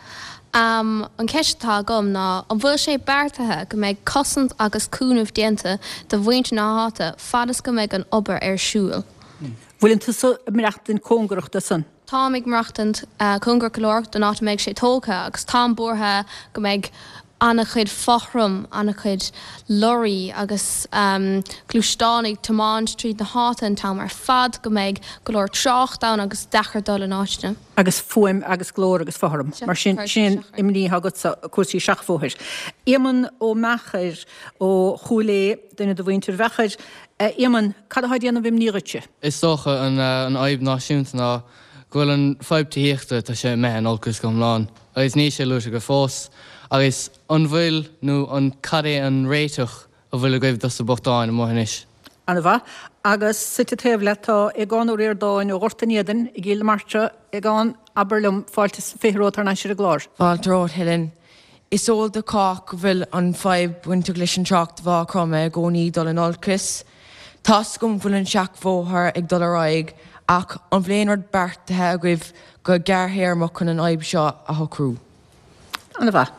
An cheist atá agam ná an bhfuil sé beartaithe go mbeidh cosaint agus cúnamh déanta do mhuintir na háite fad is go mbeidh an obair ar siúl? Bhfuileann tusa ag maireachtaint cóngarach do san? Táim ag maireachtaint cóngarach go leor don áit a mbeidh sé tógtha agus táim buartha go mbeidh an-chuid fothram, an-chuid lorraí agus gluaisteáin ag tiomáint tríd na háite an t-am ar fad, go mbeidh go leor trácht ann agus deacair dul in áiteanna. Agus fuaim agus glór agus fothram. Mar sin, sin imní atá agatsa, cúrsaí seachbhóthair. Éamonn Ó Meachair ó Chúil Aodha, duine de mhuintir Mheachair. A Éamoinn, cad atá ag déanamh imní dhuitse? Is dócha an fhadhb náisiúnta ná go bhfuil an fadhb tithíochta, tá sé imithe in olcas go hiomlán agus níl sé luaite go fós. Agus an bhfuil nó an cad é an réiteach a bhfuil agaibh dos na bochtáin amuigh anois? An-mhaith. Agus suite taobh leat tá Aogán Ó Ríordáin ó Ghort an Éadain i gCill na Martra. Aogán, abair liom, fáilte is fiche romhat thar n-ais ar an gclár. Fáilte romhat, Helen. Is eol do chách go bhfuil an fadhb bainteach leis an trácht Mhaigh Chromtha i gcónaí ag dul in olcas. Tá's agam go bhfuil an seachbhóthar ag dul ar aghaidh ach an bhfuil aon rud beartaithe agaibh go gearrthéarmach chun an fhadhb seo a shocrú? An-mhaith.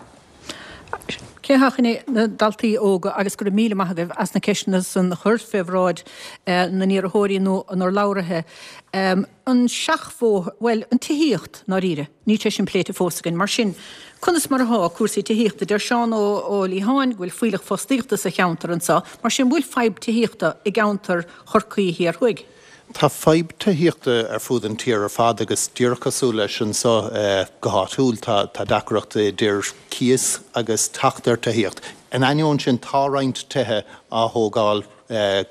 Cé hé na daltaí óga agus go raibh míle maith agaibh as na ceisteanna san a chur fé bhráid na n-iarrthóirí nó a n-urlabhraithe. An seachbhóthar, bhuel, an tithíocht, ndáiríre, níl sé sin pléite fós againn. Mar sin, conas mar atá cúrsaí tithíochta? Deir Seán Ó Liatháin go bhfuil fuílleach fostaíochta sa cheantar anseo, mar sin, bhfuil fadhb tithíochta i gceantar Chorcaí Thiar Thuaidh? Tá fadhb tithíochta ar fud an tír ar fad agus díreach cosúil leis anseo go háitiúil tá tá deacracht idir cíos agus teacht ar tithíocht. In ainneoin sin tá roinnt tithe á thógáil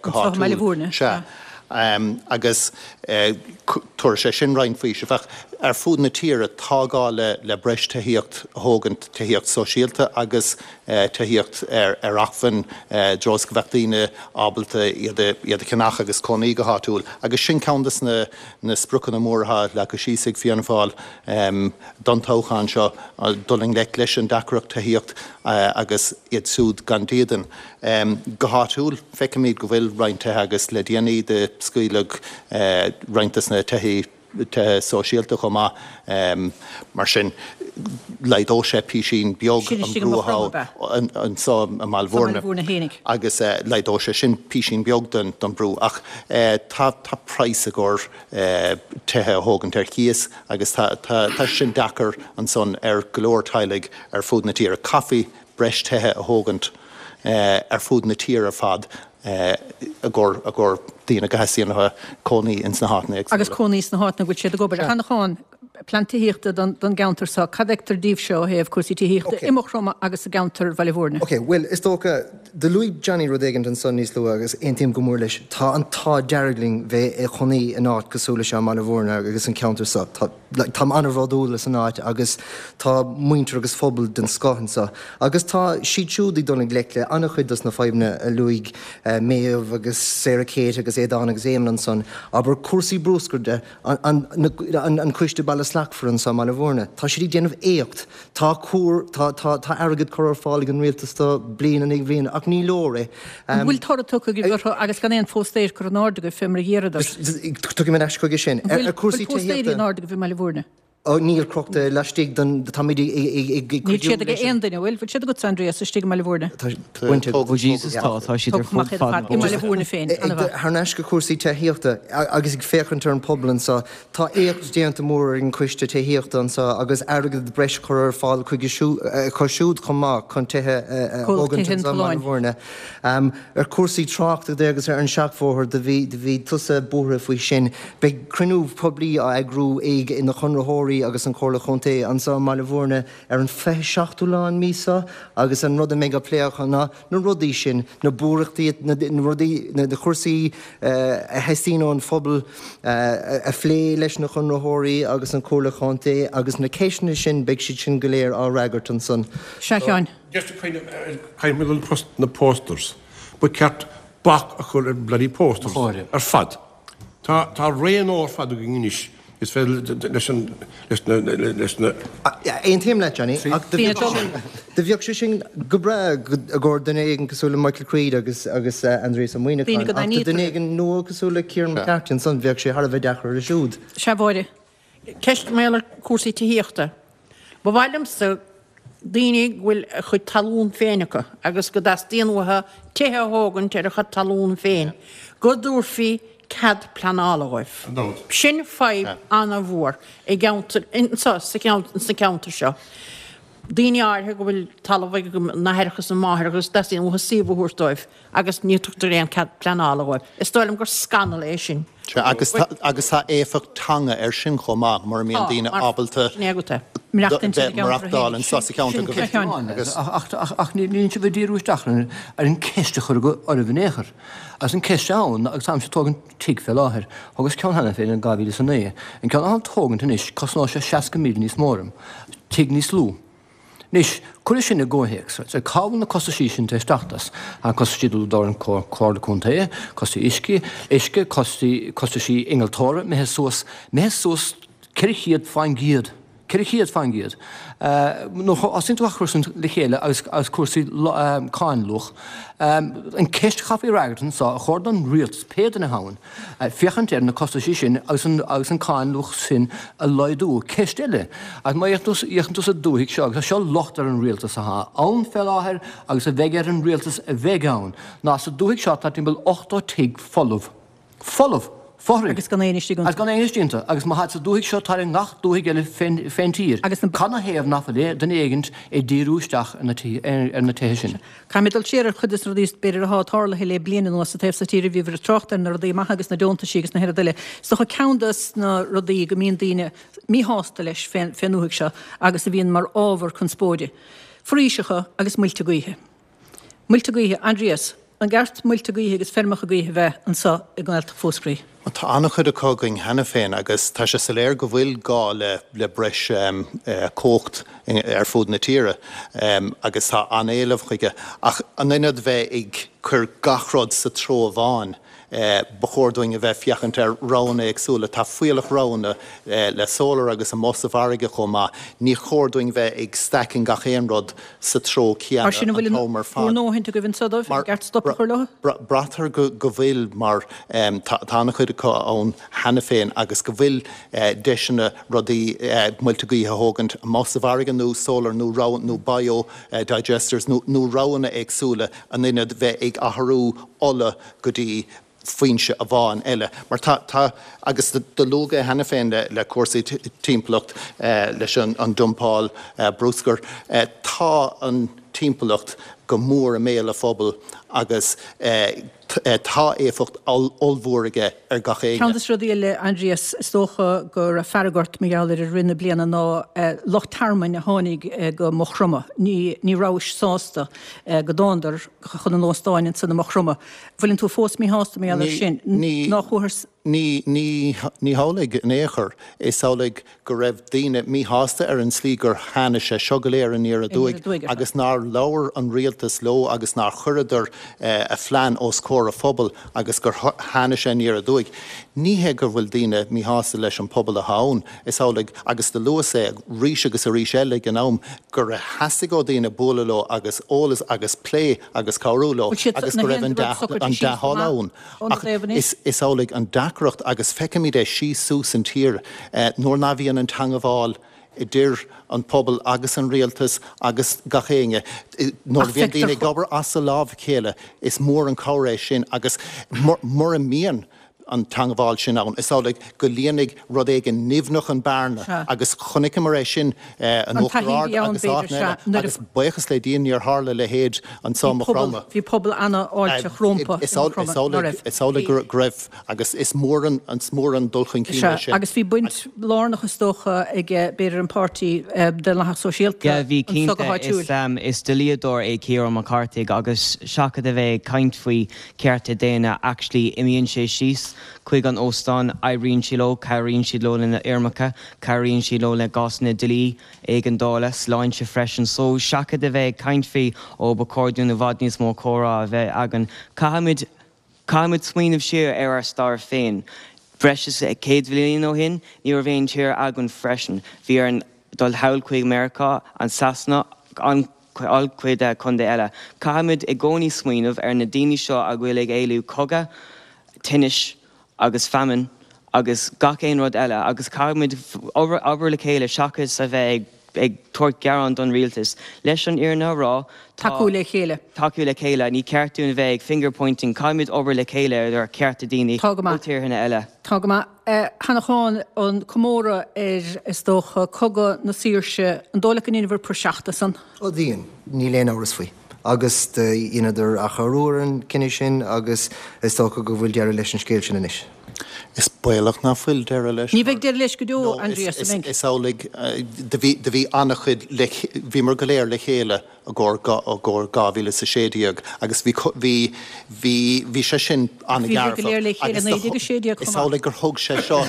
go Anseo i mBaile háitiúil. Mhúirne, Sea. sea. Agus tabharfaidh sé sin roinnt faoisimh. Ach ar fud na tíre tá gá le le breis tithíocht a thógaint, tithíocht sóisialta agus tithíocht ar ar acmhainn i dtreo is go bheadh daoine ábalta iad a iad a cheannach agus cónaí go háitiúil. Agus sin ceann des na na spriocanna móra atá leagtha síos ag Fianna Fáil don toghchán seo, dul i ngleic leis an deacracht tithíocht agus iad siúd gan dídean. Go háitiúil feicimid go bhfuil roinnt tithe agus le déanaí do scaoileadh roinnt des na tithe tithe sóisialta chomh maith. Mar sin, laghdódh sé písín beag Sin an istigh i brú Maigh Chromtha, atá anseo i mBaile Sa Bhaile Mhúirne Mhúirne fhéinig. agus laghdódh sé sin písín beag den den brú. Ach tá tá praghas i gcomhair tithe a thógaint ar cíos agus tá tá tá sin deacair ansan ar go leor teaghlaigh ar fud na tíre. Caithfí breis tithe a thógaint ar fud na tíre ar fad i gcomhair i gcomhair daoine go theastaíonn uathu cónaí ins na háiteanna Agus éagsúla. cónaí sna háiteanna go bhfuil siad ag obair. A Sheanacháin, plean tithíochta don don gceantar seo, cad fheictear daoibhse ó thaobh cúrsaí tithíochta Ok. i Maigh Chromtha agus i gceantar Bhaile Mhúirne? Ok, bhuel, is dócha, do luaigh Johnny rud éigint ansan níos luaithe agus aontaím go mór leis, tá an t-ádh dearg linn bheith i chónaí in áit cosúil le seo i mBaile Mhúirne agus an ceantar seo. Tá, like, táim an-bhródúil as an áit agus tá muintir agus phobal den scoth anseo. Agus tá siad siúd ag dul i ngleic le an-chuid dos na fadhbanna a luaigh Méabh agus Sarah Kate agus Aodán agus Éamonn ansan, abair cúrsaí bruscair de, an, an, an Coiste Baile Slachtmhar anso i mBaile Mhúirne. Tá siad ag déanamh éacht. Tá cúr, tá, tá, tá airgead curtha ar fáil ag an rialtas do bliain i ndiaidh bliana ach ní leor é. An bhfuil toradh tugtha agaibh orthu agus gan aon phóstaer curtha in airde agaibh fé mar a d'iarradar? Tiocfaidh mé ar ais chuige sin. An bhfuil, Ar cúrsaí bhfuil póstaeirí tithíochta. in airde agaibh i mBaile Mhúirne? Ó, níl crochta laistigh den, táimid ag, ag, ag, ag Níl cuidiú siad ag leis an. aon duine, bhfuil? Bhfuil siad agatsa, Aindrias, istigh i mBaile Mhúirne? Tá, baint ag. Oh Jesus, tá, tá siad ar Tógtha amach fud iad ar fad fad na i mBaile bóithre. Mhúirne féin, an-mhaith. Thar n-ais go cúrsaí tithíochta agus ag féachaint ar an pobal anseo, tá éacht déanta mór ag an Coiste Tithíochta anseo agus airgead breis curtha ar fáil chuige acu siúd chomh maith chun tithe a Comhlacht thógaint Tithe an anseo i mBaile Tolláin. Mhúirne. Ar cúrsaí tráchta de agus ar an seachbhóthar do bhí, do bhí tusa buartha faoi sin. Beidh cruinniú poiblí á eagrú ag na conraitheoirí conraitheoirí agus an Chomhairle Chontae anseo i mBaile Bhúirne ar an fiche seachtú lá an mhí seo agus an rud a mbeidh á phlé acu ná na rudaí sin, na buaireachtaí, na rudaí, na cúrsaí a theastaíonn ón phobal a phlé leis na conraitheoirí agus an Chomhairle Chontae agus na ceisteanna sin, beidh siad sin go léir á fhreagairt ansan. Sea, a Sheáin. Just a kind of, kind of na posters. Ba cheart bac a chur ar bloody posters ar fad. Tá tá ré nua ar fad againn anois is féidir leis an leis na leis na Aontaím leat Johnny ach do bheadh sé sin go breá i gcomhair duine éigin cosúil le Michael Creed agus agus Aindrias Ó Muimhneacháin ach do duine éigin nua cosúil le Kieran McCarthy ansan bheadh sé thar a bheith deacair air siúd. Sea, a Mháire. Ceist mar gheall ar cúrsaí tithíochta. Ba mhaith liomsa daoine go bhfuil a chuid talún féin acu agus go dteastaíonn uathu tithe a thógaint ar a chuid talún féin, go dtabharfaí cead pleanála dhóibh. Sin fadhb an-mhór i gceantar, anseo sa cheantar seo. Daoine áirithe go bhfuil talamh ag a n-aithreacha is a máithreacha agus teastaíonn uathu suíomh a thabhairt dóibh agus ní tugtar aon cead pleanála dhóibh. Is dóigh liom gur scannal é sin. Sea, agus tá, agus tá éifeacht teanga air sin chomh maith, mura mbíonn daoine ábalta maireachtáil anseo sa cheantar go bhfuil, agus. Ach níl sibh ag díriú isteach ar an ceist a cuireadh oraibh in aon chor. Agus an ceist ann, agus táimse ag tógaint tigh fé láthair, thógas ceann cheana féin in dhá mhíle is a naoi, an ceann atáim ag tógaint anois, cosnóidh sé seasca míle níos mó orm, tigh níos lú. Anois, cuir é sin i gcomhthéacs. Cá bhfuil na costaisí sin tar éis teacht as? Tá costaisí ag dul don Chomhairle Contae, costaisí uisce, uisce, costaisí innealtóra, imithe suas, imithe suas ceithre chéad faoin gcéad, ceithre chéad faoin gcéad. Nuair a thosaíonn tú á chur sin le chéile agus agus cúrsaí cáin luach, an ceist a chaithfí a fhreagairt anseo, ar chóir don rialtas, pé duine atá ann, féachaint ar na costaisí sin agus an agus an cáin luach sin a laghdú. Ceist eile, agus má fhéachann tú sa dúthaigh seo, agus tá seo locht ar an rialtas atá ann fé láthair agus a bheidh ar an rialtas a bheidh ann, ná sa dúthaigh seo tá timpeall ochtó tigh folamh. Folamh! Fothraigh! Agus gan éinne istigh iontu. Agus gan éinne istigh iontu. Agus má tháid sa dúthaigh seo, táid i ngach dúthaigh eile fén tír. Agus na. Cad 'na thaobh nach bhfuil duine éigint ag díriú isteach ar na tithe sin? Caithfidh mé dul siar ar chuid de na rudaí b'fhéidir atá tarlaithe le bliain anuas sa taobh so tíre. Bhíobhair ag trácht ar na rudaí maithe agus na deontaisí agus na rud eile. Is dócha ceann de na rudaí go mbíonn daoine míshásta leis fén ndúthaigh seo agus a bhíonn mar ábhar conspóide, foraoiseacha agus muilte gaoithe. Muilte gaoithe, Aindrias, an gceart muilte gaoithe agus feirmeacha gaoithe bheith anseo i nGaeltacht Mhúscraí? Tá an-chuid acu againn cheana féin agus tá sé soiléir go bhfuil gá le breis cumhacht ar fud na tíre agus tá an-éileamh chuige. Ach in ionad bheith ag cur gach rud sa treo amháin, ba chóir dúinn a bheith féachaint ar roghanna éagsúla. Tá fuíollach roghanna le solar agus amuigh sa bhfarraige chomh maith. Ní chóir dúinn bheith ag stacking gach aon rud sa treo Mar céanna sin an an bhfuil t-am ar bhur fad. ndóthaint agaibh anseo dóibh? An gceart stop a chur leo? Braitear go bhfuil mar tá an-chuid acu ann cheana féin agus go bhfuil deiseanna rudaí muilte gaoithe a thógaint amuigh sa bhfarraige nó solar nó rogha nó bio digesters nó roghanna éagsúla in ionad bheith ag athrú ola go dtí foinse amháin eile. Mar tá, tá, agus do luadh é cheana féin le, le cúrsaí timpeallacht, leis an, an dumpáil bruscair, tá an timpeallacht go mór i mbéal an phobail agus tá éifeacht ollmhór aige ar gach éinne. Ceann de na rudaí eile, Aindrias, is dócha go raibh fearg ort mar gheall air i rith na bliana ná lucht tearmainn a tháinig go Maigh Chromtha. Ní, ní rabhais sásta go dtándar chun an óstáin ansan i Maigh Chromtha. Bhfuileann tú fós míshásta mar gheall air sin? Ní, Ná chuathas. ní, ní, ní hamhlaidh in aon chor. Is amhlaidh go raibh daoine míshásta ar an tslí gur tháinig sé seo go léir aniar aduaidh agus nár labhair an rialtas leo agus nár chuireadar a phlean os comhair a phobail agus gur tháinig sé aniar aduaidh. Ní hé go bhfuil daoine míshásta leis an pobal atá ann, is amhlaidh, agus do luas é arís agus arís eile ag an am, gur theastaigh ó daoine bualadh leo agus eolas agus plé agus cabhrú leo agus go raibh an dea-thoil ann. Ach is amhlaidh an deacracht, agus feicimid é síos suas an tír, nuair ná bhíonn an teangabháil idir an pobal agus an rialtas agus gach éinne, nuair a bhíonn daoine ag obair as a lámh a chéile, is mór an cabhair é sin agus mura mbíonn an teangmháil sin ann, is amhlaidh go líonfaidh rud éigin nimhneach an bearna agus chonaiceamar é sin in Uachtar Ard agus áiteanna eile agus buíochas le Dia níor tharla a leithéid anso i Maigh Chromtha. Bhí pobal an-fháilteach rompu i Maigh Chromtha, ná raibh? Is amhlaidh go raibh agus is mór an is mór an dul chun cinn é sin. Agus bhí baint lárnach is dócha ag b'fhéidir an páirtí Daonlathach Sóisialta Yeah, bhí anso go cinnte. háitiúil. Is dlíodóir é Ciarán Mac Cárthaigh agus seachas a bheith ag caint faoi cearta daonna actually imíonn sé síos chuig an óstán, oibríonn sé leo, cabhraíonn siad leo lena fhoirmeacha, cabhraíonn siad leo le cásanna dlí, éigeandála, sláinte freisin. So seachas a bheith ag caint faoi ó ba chóir dúinn i bhfad níos mó comhrá a bheith againn, caithfimid, caithfimid smaoineamh siar ar ár stair féin. Breis is céad bhliain ó shin ní raibh aon tír againn freisin. Bhí orainn dul thall chuig Meiriceá, an Sasana, an an-chuid contae eile. Caithfimid i gcónaí smaoineamh ar na daoine seo a bhfuil ag éalú cogadh, tinnis agus feamainn agus gach aon rud eile agus caithfimid obair le chéile seachas a bheith ag tabhairt gearán don rialtas. Leis an fhírinne a rá, tá. Tacú le chéile. Tacú le chéile. Ní ceart dúinn a bheith ag finger pointing, caithfimid obair le chéile ar chearta daoine Tá go ó maith. tíortha eile. Tá go maith. A Sheanacháin, an comóradh ar, is dócha, Cogadh na Saoirse, an dóigh leat go ndéanfar praiseach de san? Ó dhein, níl aon amhras faoi. Agus do dheineadar athuair an cinneadh sin agus is dócha go bhfuil deireadh leis an scéal sin anois. Is baolach ná fuil deireadh leis Ní mar bheidh deireadh leis go deo, no, Aindrias, an mbeidh? is amhlaidh do bhí, do bhí an-chuid le, bhíomar go léir le chéile i gcomhair, i gcomhair dhá mhíle is a sé déag agus bhí, bhí, bhí, bhí sé sin Ach bhí sibh go léir le an-dhearfach chéile agus naoi déag a sé déag is chomh maith. amhlaidh gur thug sé seo,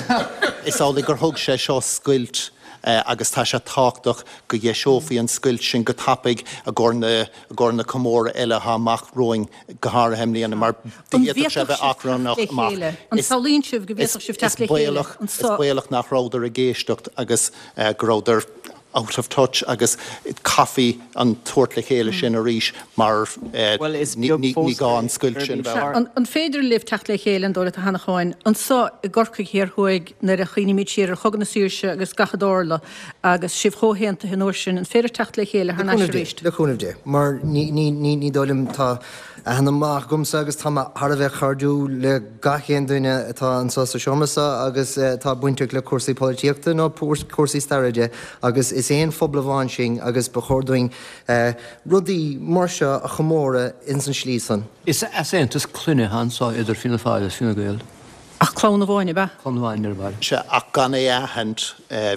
is amhlaidh gur thug sé seo scoilt agus tá sé tábhachtach go dheiseofaí an scoilt sin go tapaidh i gcomhair na, i gcomhair na comóradh eile atá amach romhainn, go háirithe i mbliana, mar An d'fhéadfadh sé bhféadfadh bheith sibh teacht achrannach le amach. chéile? An Is, samhlaíonn sibh go is, bhféadfadh sibh is teacht le chéile baolach, is anso? baolach nach rabhadar ag éisteacht agus go rabhadar out of touch agus caithfí an tabhairt le chéile sin arís mar Bhuel, is ní, beag ní, ní fós gá an scoilt gurb sin a í bheith ann. An, an féidir libh teacht le chéile, an dóigh leat, a Sheanacháin, anso i gCorcaigh Thiar Thuaidh nuair a chuimhnímid siar ar Chogadh na Saoirse agus gach a dtarla agus sibh chomh haontaithe an uair sin, an féidir teacht le chéile Le thar n-ais cúnamh Dé, arís? le cúnamh Dé, mar ní, ní, ní, ní dóigh liom, tá aithne maith agamsa agus tá mé thar a bheith cairdiúil le gach aon duine atá anseo sa seomra seo agus atá bainteach le cúrsaí polaitíochta nó cúrsaí staire de agus is aon phobal amháin sinn agus ba chóir dúinn rudaí mar seo a chomóradh ins an slí san. Is easaontas clainne atá anseo idir Fianna Fáil agus Fine Gael. Ach clann amháin, ab ea? Clann amháin ar ball. Sea, ach gan é a aithint,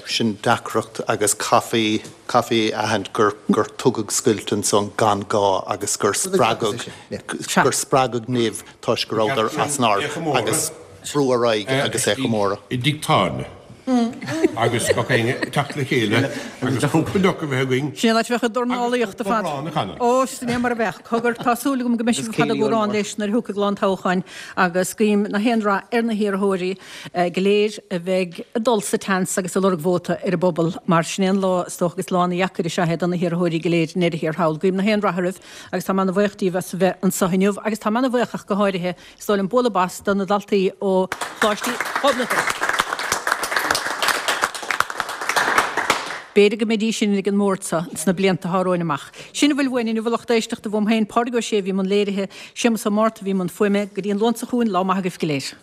sin deacracht agus caithfí, caithfí a aithint gur, gur tugadh scoilt ansan gan gá agus gur spreagadh, gur spreagadh nimh toisc go rabhadar as an áireamh agus brú ar aghaidh agus é a chomóradh. I dtigh tábhairne agus gach éinne ag teacht le chéile agus cúpla deoch a bheith againn. Sin an áit a bheadh an dornálaíocht ar fad. Agus cúpla bodhrán a chanadh. Ó, sin é mar a bheadh. Cogar, tá súil agam go mbeidh sibh ar fad ag amhrán leis nuair a thiocfaidh lá an toghcháin agus guím na haon rath ar na hiarrthóirí go léir a bheidh ag dul sa tseans agus ag lorg vóta ar an bpobal mar sin é an lá is dócha agus lá ana-dheacair is ea é do na hiarrthóirí go léir i ndeireadh thiar thall. Guím na haon rath oraibh agus tá mé ana-bhuíoch díobh as a bheith anseo inniu agus tá mé ana-bhuíoch ach go háirithe is dóigh liom bualadh bos do na daltaí ó Choláiste Ghobnatan. B'fhéidir go mbeidís sin ag an mbord seo sna blianta atá romhainn amach. Sin a bhfuil uainn inniu a lucht éisteachta uaim féin, Pádraig Ó Sé a bhí i mbun léirithe, Séamus Ó Márta a bhí i mbun fuaime, go dtí an Luan seo chugainn, lá maith agaibh go léir.